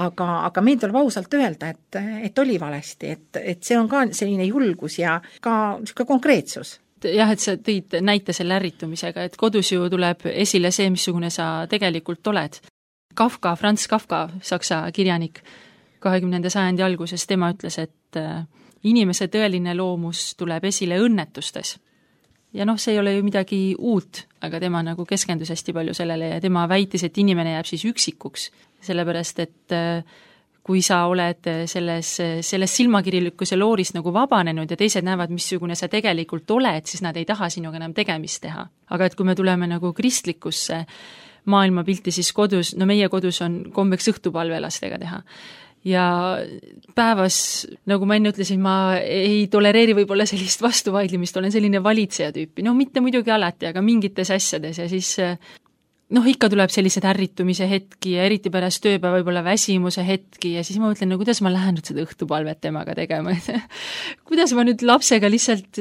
Aga meil tuleb ausalt öelda, et oli valesti. Et see on ka selline julgus ja ka konkreetsus. Jah, et sa tõid näite selle ärritumisega, et kodus ju tuleb esile see, missugune sa tegelikult oled. Kafka, Franz Kafka, saksa kirjanik, 20. sajandi alguses, tema ütles, et inimese tõeline loomus tuleb esile õnnetustes. Ja noh, see ei ole ju midagi uut, aga tema nagu keskendus hästi palju sellele ja tema väitis, et inimene jääb siis üksikuks, sellepärast et kui sa oled selles silmakirjalikkuse loorist nagu vabanenud ja teised näevad, missugune sa tegelikult oled, siis nad ei taha sinuga enam tegemist teha. Aga et kui me tuleme nagu kristlikusse maailmapilti, siis kodus, no meie kodus on kombeks õhtupalve lastega teha. Ja päevas, nagu ma enne ütlesin, ma ei tolereeri võib-olla sellist vastuvaidlimist, olen selline valitseja tüüpi. No mitte muidugi alati, aga mingites asjades ja siis noh, ikka tuleb sellised ärritumise hetki ja eriti pärast tööpäeva võib-olla väsimuse hetki ja siis ma mõtlen, no kuidas ma lähen nüüd seda õhtupalvet temaga tegema, kuidas ma nüüd lapsega lihtsalt,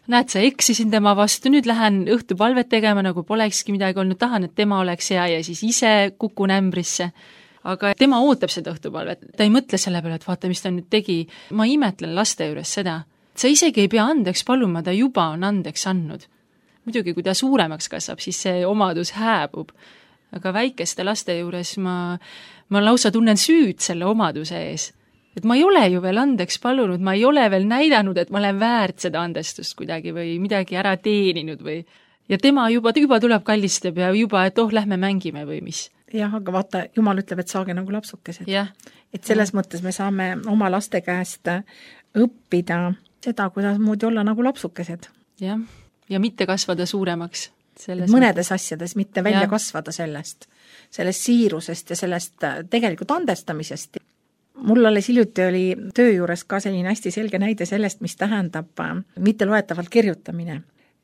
näed, sa eksisin tema vastu, nüüd lähen õhtupalvet tegema, nagu polekski midagi olnud, tahan, et tema oleks hea ja siis ise kukun ämbrisse. Aga tema ootab seda õhtupalvet, ta ei mõtle selle peale, et vaata, mis ta nüüd tegi. Ma imetlen laste juures seda, sa isegi ei pea andeks paluma, ta juba on andeks andnud. Muidugi, kui ta suuremaks kasvab, siis see omadus hääbub. Aga väikeste laste juures ma lausa tunnen süüd selle omaduse ees. Et ma ei ole ju veel andeks palunud, ma ei ole veel näidanud, et ma olen väärt seda andestust kuidagi või midagi ära teeninud või. Ja tema juba tuleb kallistab ja juba, et lähme mängime või mis. Jah, aga vaata, Jumal ütleb, et saage nagu lapsukesed. Ja. Et selles mõttes me saame oma laste käest õppida seda, kuidas moodi olla nagu lapsukesed. Jah. Ja mitte kasvada suuremaks. Mõnedes asjades, mitte välja kasvada sellest siirusest ja sellest tegelikult andestamisest. Mul alles hiljuti oli töö juures ka selline hästi selge näide sellest, mis tähendab mitte loetavalt kirjutamine.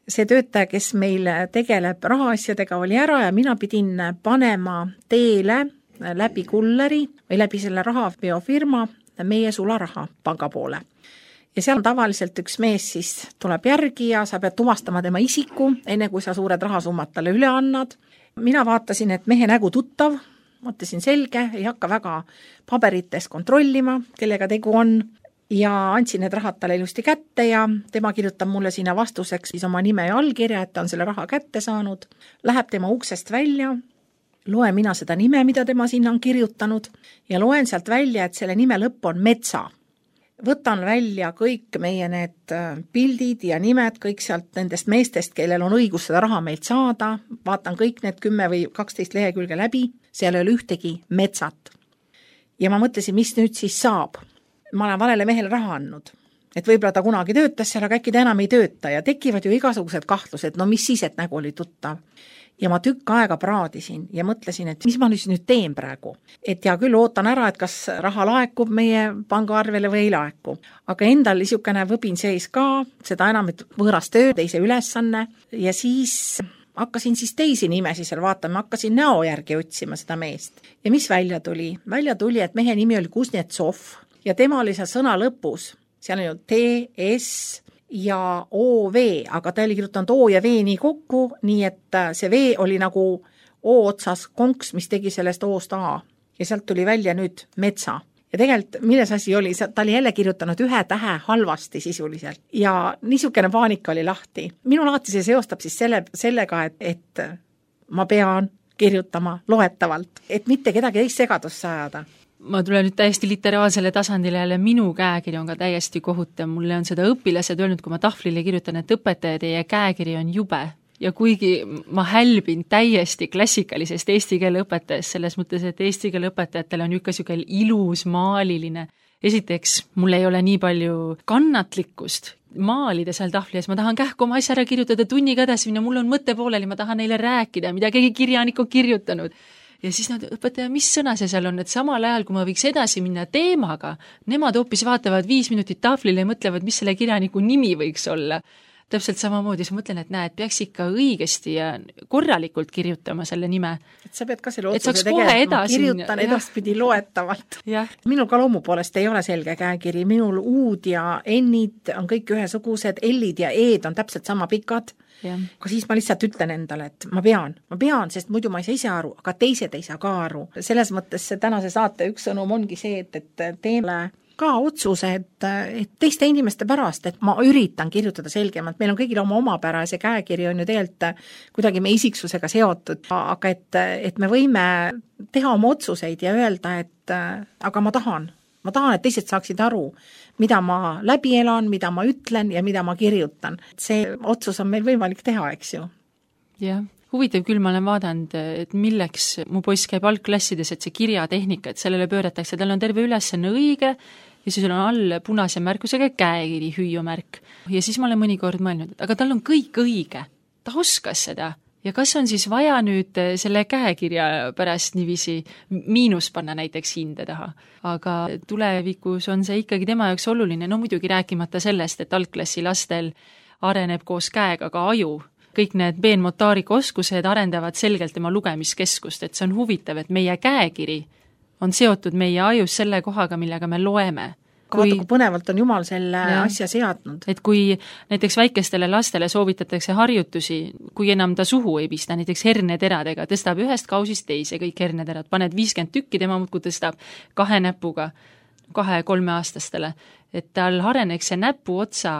See töötaja, kes meil tegeleb rahaasjadega, oli ära ja mina pidin panema teele läbi kulleri või läbi selle rahaveofirma meie sularaha panga poole. Ja seal tavaliselt üks mees siis tuleb järgi ja sa pead tuvastama tema isiku, enne kui sa suured rahasummad talle üle annad. Mina vaatasin, et mehe nägu tuttav, mõtlesin selge, ei hakka väga paberites kontrollima, kellega tegu on, ja andsin need rahad talle ilusti kätte ja tema kirjutab mulle sinna vastuseks siis oma nime ja allkirja, et ta on selle raha kätte saanud, läheb tema uksest välja, loen mina seda nime, mida tema sinna on kirjutanud ja loen sealt välja, et selle nime lõpp on Metsa. Võtan välja kõik meie need pildid ja nimed, kõik sealt nendest meestest, kellel on õigus seda raha meilt saada, vaatan kõik need 10 või 12 lehekülge läbi, seal ei ole ühtegi Metsat. Ja ma mõtlesin, mis nüüd siis saab. Ma olen valele mehele raha andnud, et võib-olla ta kunagi töötas seal, aga äkki ta enam ei tööta ja tekivad ju igasugused kahtlused, no mis siis, et nägu oli tuttav. Ja ma tükk aega praadisin ja mõtlesin, et mis ma nüüd teen praegu. Et ja küll ootan ära, et kas raha laekub meie pangaarvele või ei laeku. Aga endal niisugune võbin seis ka, seda enam, et võõras töö, teise ülesanne ja siis hakkasin siis teisi nimesi seal vaatama, hakkasin näo järgi otsima seda meest. Ja mis välja tuli? Välja tuli, et mehe nimi oli Kuznetsov ja tema oli seal sõna lõpus, seal on ju T-S ja O-V, aga ta oli kirjutanud O ja V nii kokku, nii et see V oli nagu O otsas konks, mis tegi sellest O-st A. Ja sealt tuli välja nüüd Metsa. Ja tegelikult, milles asi oli, ta oli jälle kirjutanud ühe tähe halvasti sisuliselt. Ja niisugune paanika oli lahti. Minul alati see seostab siis sellega, et ma pean kirjutama loetavalt, et mitte kedagi teist segadusse ajada. Ma tulen nüüd täiesti literaalsele tasandile jälle, minu käekiri on ka täiesti kohutav. Mulle on seda õpilased öelnud, kui ma tahvlile kirjutan, et õpetaja, teie käekiri on jube. ja kuigi ma hälbin täiesti klassikalisest eesti keele õpetajast, selles mõttes, et eesti keele õpetajatel on niisugune ilus maaliline. Esiteks, mul ei ole nii palju kannatlikkust maalida seal tahvli ees, ma tahan kähku oma asja ära kirjutada, tunniga edasi minna, mul on mõte pooleli, ma tahan neile rääkida, mida keegi kirjanik on kirjutanud. Ja siis nad, õpetaja, mis sõna see seal on, et samal ajal, kui ma võiks edasi minna teemaga, nemad hoopis vaatavad 5 minutit tahvlile ja mõtlevad, mis selle kirjaniku nimi võiks olla. Täpselt samamoodi, siis mõtlen, et näed, peaks ikka õigesti ja korralikult kirjutama selle nime. Et sa pead ka selle otsuse tegema, kirjutan edaspidi loetavalt. Minul ka loomu poolest ei ole selge käekiri, minul uud ja ennid on kõik ühesugused, ellid ja eed on täpselt sama pikad. Aga siis ma lihtsalt ütlen endale, et ma pean, sest muidu ma ei saa ise aru, aga teised ei saa ka aru. Selles mõttes see tänase saate üks sõnum ongi see, et teeme ka otsuse, et teiste inimeste pärast, et ma üritan kirjutada selgemalt, meil on kõigil oma omapära ja see käekiri on ju tegelikult kuidagi meie isiksusega seotud, aga et me võime teha oma otsuseid ja öelda, et aga ma tahan, et teised saaksid aru, mida ma läbi elan, mida ma ütlen ja mida ma kirjutan. See otsus on meil võimalik teha, eks ju. Jah. Huvitav küll, ma olen vaadanud, et milleks mu poiss käib algklassides, et see kirjatehnika, et sellele pööratakse, tal on terve ülesanne õige ja siis on all punase märkusega käekiri, hüüumärk. Ja siis ma olen mõnikord mõelnud, et aga tal on kõik õige, ta oskas seda. Ja kas on siis vaja nüüd selle käekirja pärast niiviisi miinus panna näiteks hinde taha? Aga tulevikus on see ikkagi tema jaoks oluline, no muidugi rääkimata sellest, et algklassi lastel areneb koos käega ka aju. Kõik need peenmotaarika oskused arendavad selgelt tema lugemiskeskust, et see on huvitav, et meie käekiri on seotud meie ajus selle kohaga, millega me loeme. Vaata, kui põnevalt on Jumal selle asja seadnud. Et kui näiteks väikestele lastele soovitatakse harjutusi, kui enam ta suhu ei pista, näiteks herneteradega, tõstab ühest kausist teise kõik herneterad, paned 50 tükki, tema muudkui tõstab 2 näpuga 2-3 aastastele, et tal areneks see näpu otsa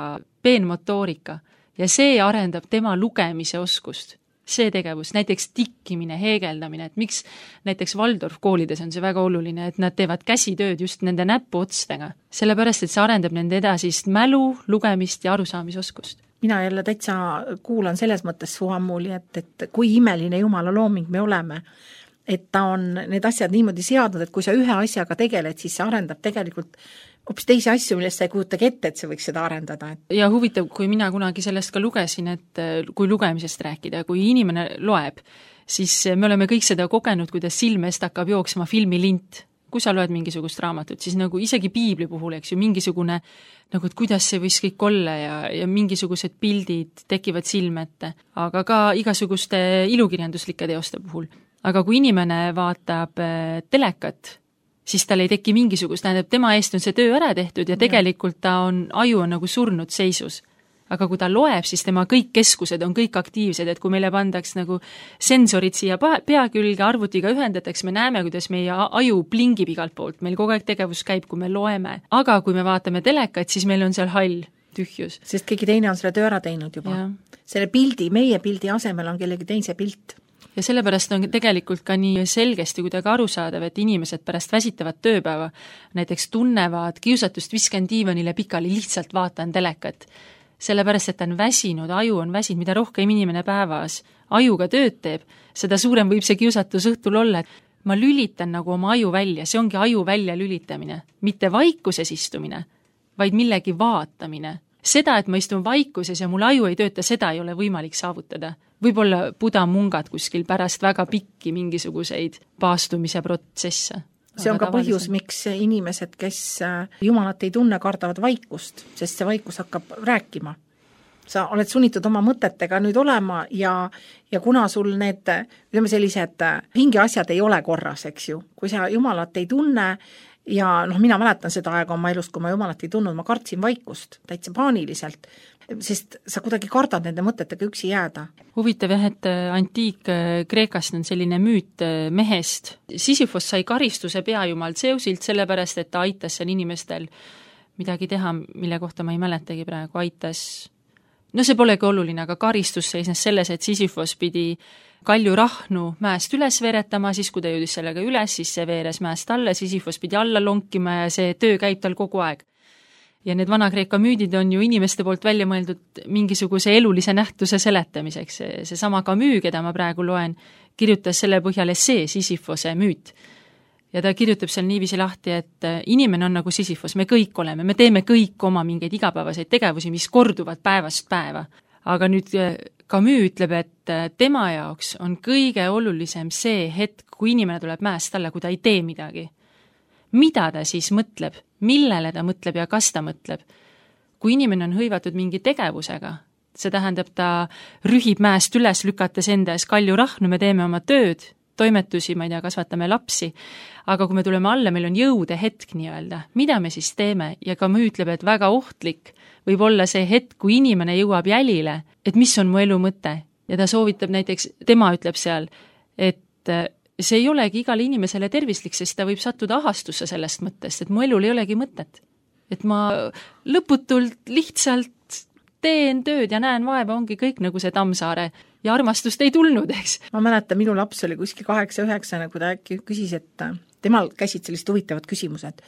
peenmotoorika. Ja see arendab tema lugemise oskust. See tegevus, näiteks tikkimine, heegeldamine, et miks näiteks Waldorf koolides on see väga oluline, et nad teevad käsitööd just nende näpuotstega. Sellepärast, et see arendab nende edasist mälu, lugemist ja arusaamisoskust. Mina jälle täitsa kuulan selles mõttes su ammuli, et kui imeline Jumala looming me oleme, et ta on need asjad niimoodi seadnud, et kui sa ühe asjaga tegeled, siis see arendab tegelikult hoopis teisi asju, millest sa ei kujutagi ette, et see võiks seda arendada. Ja huvitav, kui mina kunagi sellest ka lugesin, et kui lugemisest rääkida, kui inimene loeb, siis me oleme kõik seda kogenud, kuidas silmest hakkab jooksma filmilint. Kui sa loed mingisugust raamatut, siis nagu isegi piibli puhul, eks ju, mingisugune, nagu et kuidas see võis kõik olla ja mingisugused pildid tekivad silmette, aga ka igasuguste ilukirjanduslike teoste puhul. Aga kui inimene vaatab telekat, siis tal ei teki mingisugust, tähendab, tema eest on see töö ära tehtud ja tegelikult aju on nagu surnud seisus. Aga kui ta loeb, siis tema kõik keskused on kõik aktiivsed, et kui meile pandaks nagu sensorid siia pea külge, arvutiga ühendatakse, me näeme, kuidas meie aju plingib igalt poolt, meil kogu aeg tegevus käib, kui me loeme. Aga kui me vaatame telekat, siis meil on seal hall tühjus. Sest keegi teine on selle töö ära teinud juba. Ja. Selle pildi, meie pildi asemel on kellegi teise pilt. Ja sellepärast on tegelikult ka nii selgesti kuidagi arusaadav, et inimesed pärast väsitavat tööpäeva näiteks tunnevad kiusatust, viskan diivanile pikali, lihtsalt vaatan telekat. Sellepärast, et ta on väsinud, aju on väsinud, mida rohkem inimene päevas ajuga tööd teeb, seda suurem võib see kiusatus õhtul olla. Ma lülitan nagu oma aju välja, see ongi aju välja lülitamine, mitte vaikuses istumine, vaid millegi vaatamine. Seda, et ma istun vaikuses ja mul aju ei tööta, seda ei ole võimalik saavutada. Võib-olla Buda mungad kuskil pärast väga pikki mingisuguseid paastumise protsesse. See on ka põhjus, miks inimesed, kes Jumalat ei tunne, kardavad vaikust, sest see vaikus hakkab rääkima. Sa oled sunnitud oma mõtetega nüüd olema ja kuna sul need, ütleme sellised hingeasjad ei ole korras, eks ju, kui sa Jumalat ei tunne ja mina mäletan seda aega oma elust, kui ma Jumalat ei tundnud, ma kartsin vaikust täitsa paaniliselt, sest sa kuidagi kardad nende mõtetega üksi jääda. Huvitav jah, et Antiik-Kreekast on selline müüt mehest. Sisyphos sai karistuse peajumal Zeusilt sellepärast, et ta aitas seal inimestel midagi teha, mille kohta ma ei mäletagi praegu, aitas. No see polegi oluline, aga karistus seisnes selles, et Sisyphos pidi kalju rahnu mäest üles veeretama, siis kui ta jõudis sellega üles, siis see veeres mäest alla, Sisyphos pidi alla lonkima ja see töö käib tal kogu aeg. ja need Vana-Kreeka müüdid on ju inimeste poolt välja mõeldud mingisuguse elulise nähtuse seletamiseks. Seesama Camus, keda ma praegu loen, kirjutas selle põhjal essee Sisyphose müüt. Ja ta kirjutab seal niiviisi lahti, et inimene on nagu Sisyphos, me kõik oleme, me teeme kõik oma mingeid igapäevaseid tegevusi, mis korduvad päevast päeva. Aga nüüd Camus ütleb, et tema jaoks on kõige olulisem see hetk, kui inimene tuleb mäest alla, kui ta ei tee midagi. Mida ta siis mõtleb, millele ta mõtleb ja kas ta mõtleb? Kui inimene on hõivatud mingi tegevusega, see tähendab, ta rühib mäest üles, lükates enda ees kalju rahnu, me teeme oma tööd, toimetusi, ma ei tea, kasvatame lapsi, aga kui me tuleme alla, meil on jõude hetk nii-öelda, mida me siis teeme? Ja Camus ütleb, et väga ohtlik võib olla see hetk, kui inimene jõuab jälile, et mis on mu elu mõte. Ja ta soovitab näiteks, tema ütleb seal, et see ei olegi igale inimesele tervislik, sest ta võib sattuda ahastusse sellest mõttest, et mu elul ei olegi mõtet. Et ma lõputult lihtsalt teen tööd ja näen vaeva, ongi kõik nagu see Tammsaare ja armastust ei tulnud, eks. Ma mäletan, minu laps oli kuskil 8-9, kui ta äkki küsis, et temal käisid sellised huvitavad küsimused.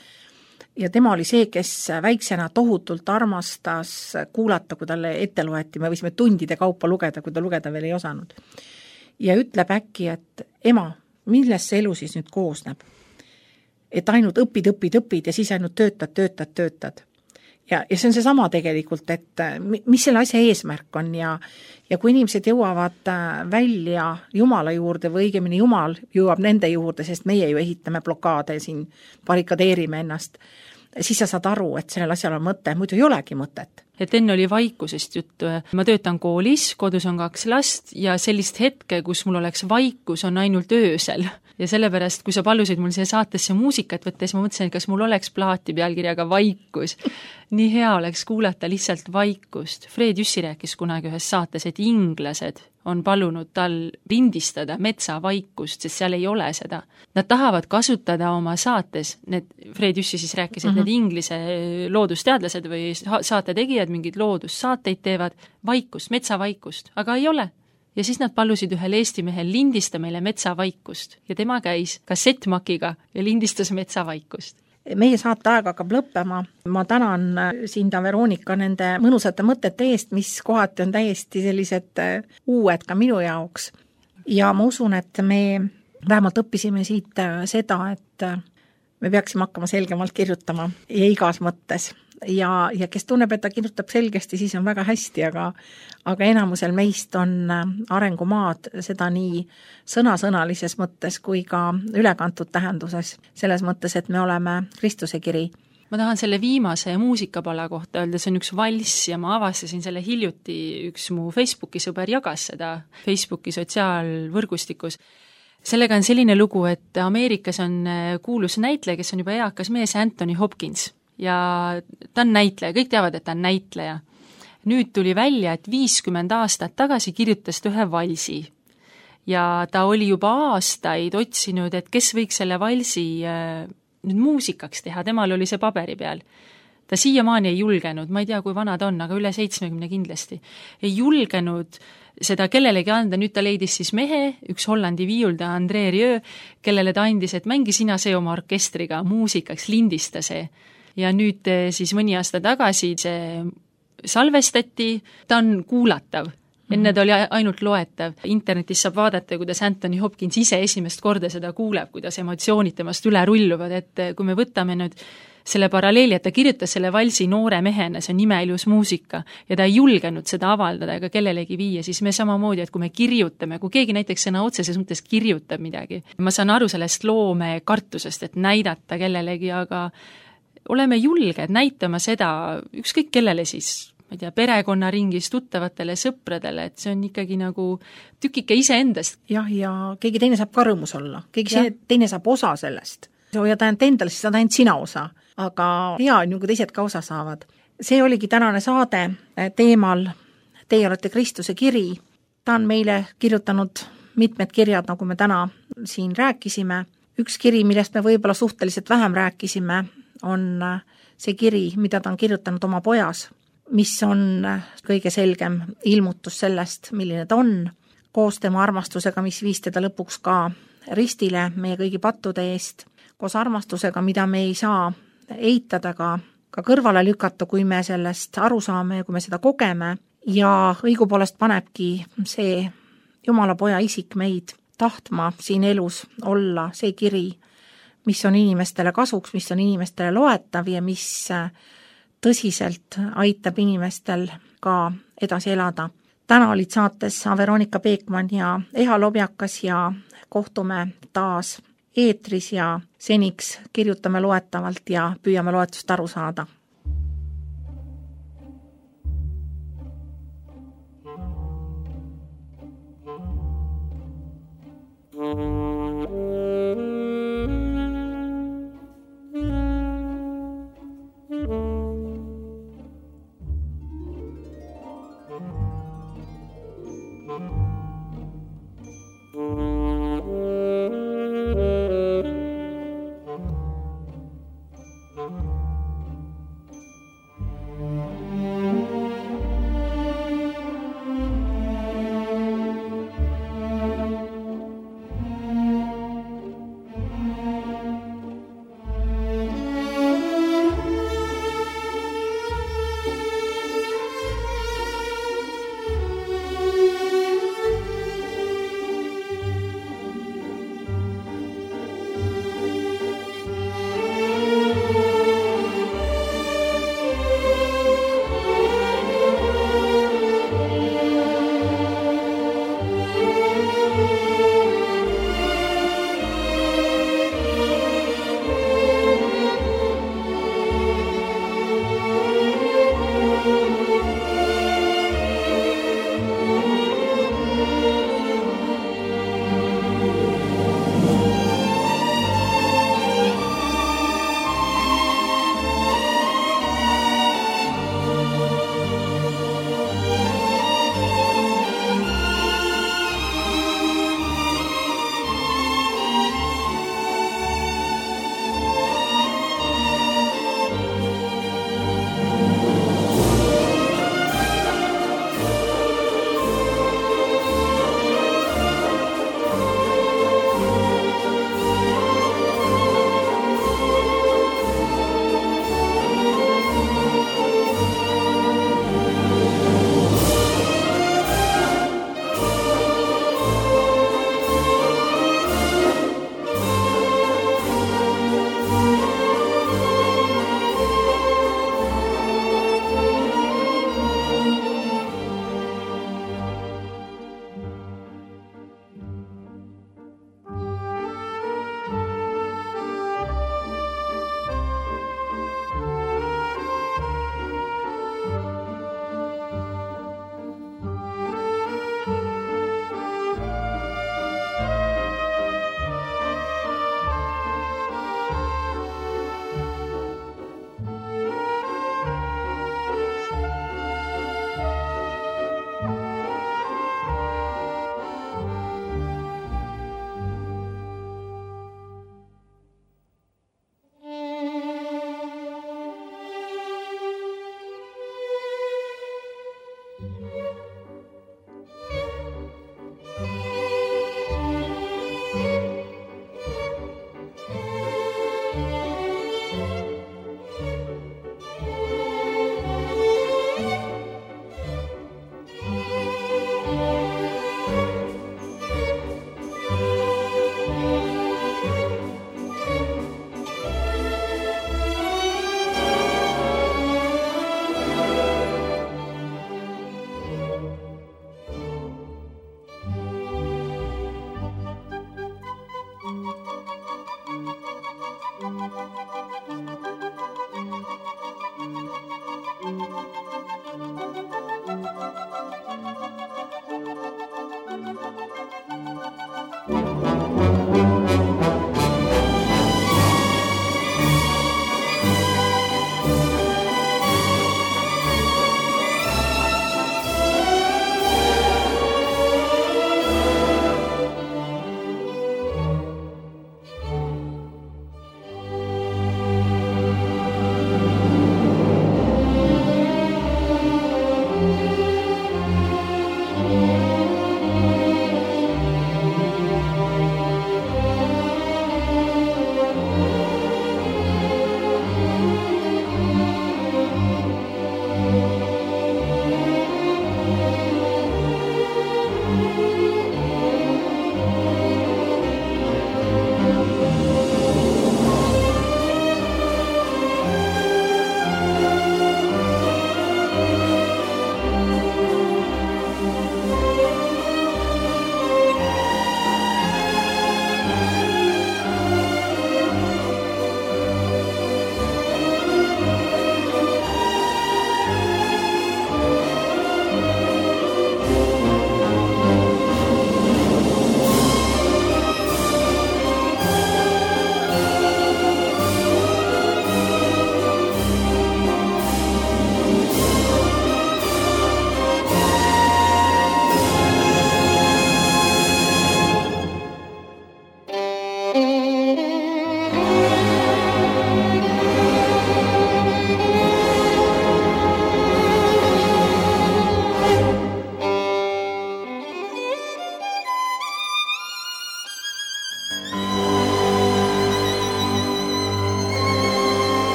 Ja tema oli see, kes väiksena tohutult armastas kuulata, kui talle ette loeti, me võisime tundide kaupa lugeda, kui ta lugeda veel ei osanud. Ja ütleb äkki, et ema, millest see elu siis nüüd koosneb? Et ainult õpid ja siis ainult töötad. Ja see on see sama tegelikult, et mis selle asja eesmärk on ja kui inimesed jõuavad välja Jumala juurde või õigemini Jumal jõuab nende juurde, sest meie ju ehitame blokaade siin, barrikadeerime ennast, siis sa saad aru, et sellel asjal on mõte, muidu ei olegi mõtet. Et enne oli vaikusest juttu. Ma töötan koolis, kodus on 2 last ja sellist hetke, kus mul oleks vaikus, on ainult öösel. Ja sellepärast, kui sa palusid mul siia saatesse muusikat võtta, siis ma mõtlesin, et kas mul oleks plaati pealkirjaga vaikus. Nii hea oleks kuulata lihtsalt vaikust. Fred Jüssi rääkis kunagi ühes saates, et inglased on palunud tal lindistada metsavaikust, sest seal ei ole seda. Nad tahavad kasutada oma saates, Fred Jüssi siis rääkis, et need inglise loodusteadlased või saate tegijad mingid loodussaateid teevad vaikust, metsavaikust, aga ei ole. Ja siis nad palusid ühel Eesti mehel lindista meile metsavaikust ja tema käis kassettmakiga ja lindistas metsavaikust. Meie saate aeg hakkab lõppema. Ma tänan Sinda Veronika nende mõnusate mõtete eest, mis kohati on täiesti sellised uued ka minu jaoks. Ja ma usun, et me vähemalt õppisime siit seda, et me peaksime hakkama selgemalt kirjutama ja igas mõttes. Ja kes tunneb, et ta kirjutab selgesti, siis on väga hästi, aga enamusel meist on arengumaad seda nii sõnasõnalises mõttes kui ka ülekantud tähenduses. Selles mõttes, et me oleme Kristuse kiri. Ma tahan selle viimase muusikapala kohta öelda, see on üks valss ja ma avastasin selle hiljuti, üks mu Facebooki sõber jagas seda Facebooki sotsiaalvõrgustikus. Sellega on selline lugu, et Ameerikas on kuulus näitleja, kes on juba eakas mees, Anthony Hopkins. Ja ta on näitleja, kõik teavad, et ta on näitleja. Nüüd tuli välja, et 50 aastat tagasi kirjutas ta ühe valsi. Ja ta oli juba aastaid otsinud, et kes võiks selle valsi nüüd muusikaks teha, temal oli see paberi peal. Ta siiamaani ei julgenud, ma ei tea, kui vana ta on, aga üle 70 kindlasti. Ei julgenud seda kellelegi anda, nüüd ta leidis siis mehe, üks Hollandi viiulda André Rieu, kellele ta andis, et mängi sina see oma orkestriga muusikaks, lindista see. Ja nüüd siis mõni aasta tagasi see salvestati, ta on kuulatav. Enne ta oli ainult loetav. Internetis saab vaadata, kuidas Anthony Hopkins ise esimest korda seda kuuleb, kuidas emotsioonid temast üle rulluvad, et kui me võtame nüüd selle paralleeli, et ta kirjutas selle valsi noore mehena, see on imeilus muusika ja ta ei julgenud seda avaldada ega kellelegi viia, siis me samamoodi, et kui me kirjutame, kui keegi näiteks sõna otseses mõttes kirjutab midagi, ma saan aru sellest loome kartusest, et näidata kellelegi, aga oleme julged näitama seda ükskõik kellele siis, ma ei tea, perekonnaringis, tuttavatele, sõpradele, et see on ikkagi nagu tükike iseendast. Ja keegi teine saab ka rõõmus olla, keegi teine saab osa sellest. Ja ta ainult endale, siis ta ainult sina osa, aga hea on ju, kui teised ka osa saavad. See oligi tänane saade teemal Teie olete Kristuse kiri. Ta on meile kirjutanud mitmed kirjad, nagu me täna siin rääkisime. Üks kiri, millest me võib-olla suhteliselt vähem rääkisime, on see kiri, mida ta on kirjutanud oma pojas, mis on kõige selgem ilmutus sellest, milline ta on, koos tema armastusega, mis viis teda lõpuks ka ristile meie kõigi pattude eest, koos armastusega, mida me ei saa eitada ka ka kõrvale lükata, kui me sellest aru saame ja kui me seda kogeme ja õigupoolest panebki see Jumala poja isik meid tahtma siin elus olla, see kiri, mis on inimestele kasuks, mis on inimestele loetav ja mis tõsiselt aitab inimestel ka edasi elada. Täna olid saates Veronika Peekman ja Eha Lobjakas ja kohtume taas eetris ja seniks kirjutame loetavalt ja püüame loetust aru saada.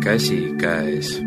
käsikäes.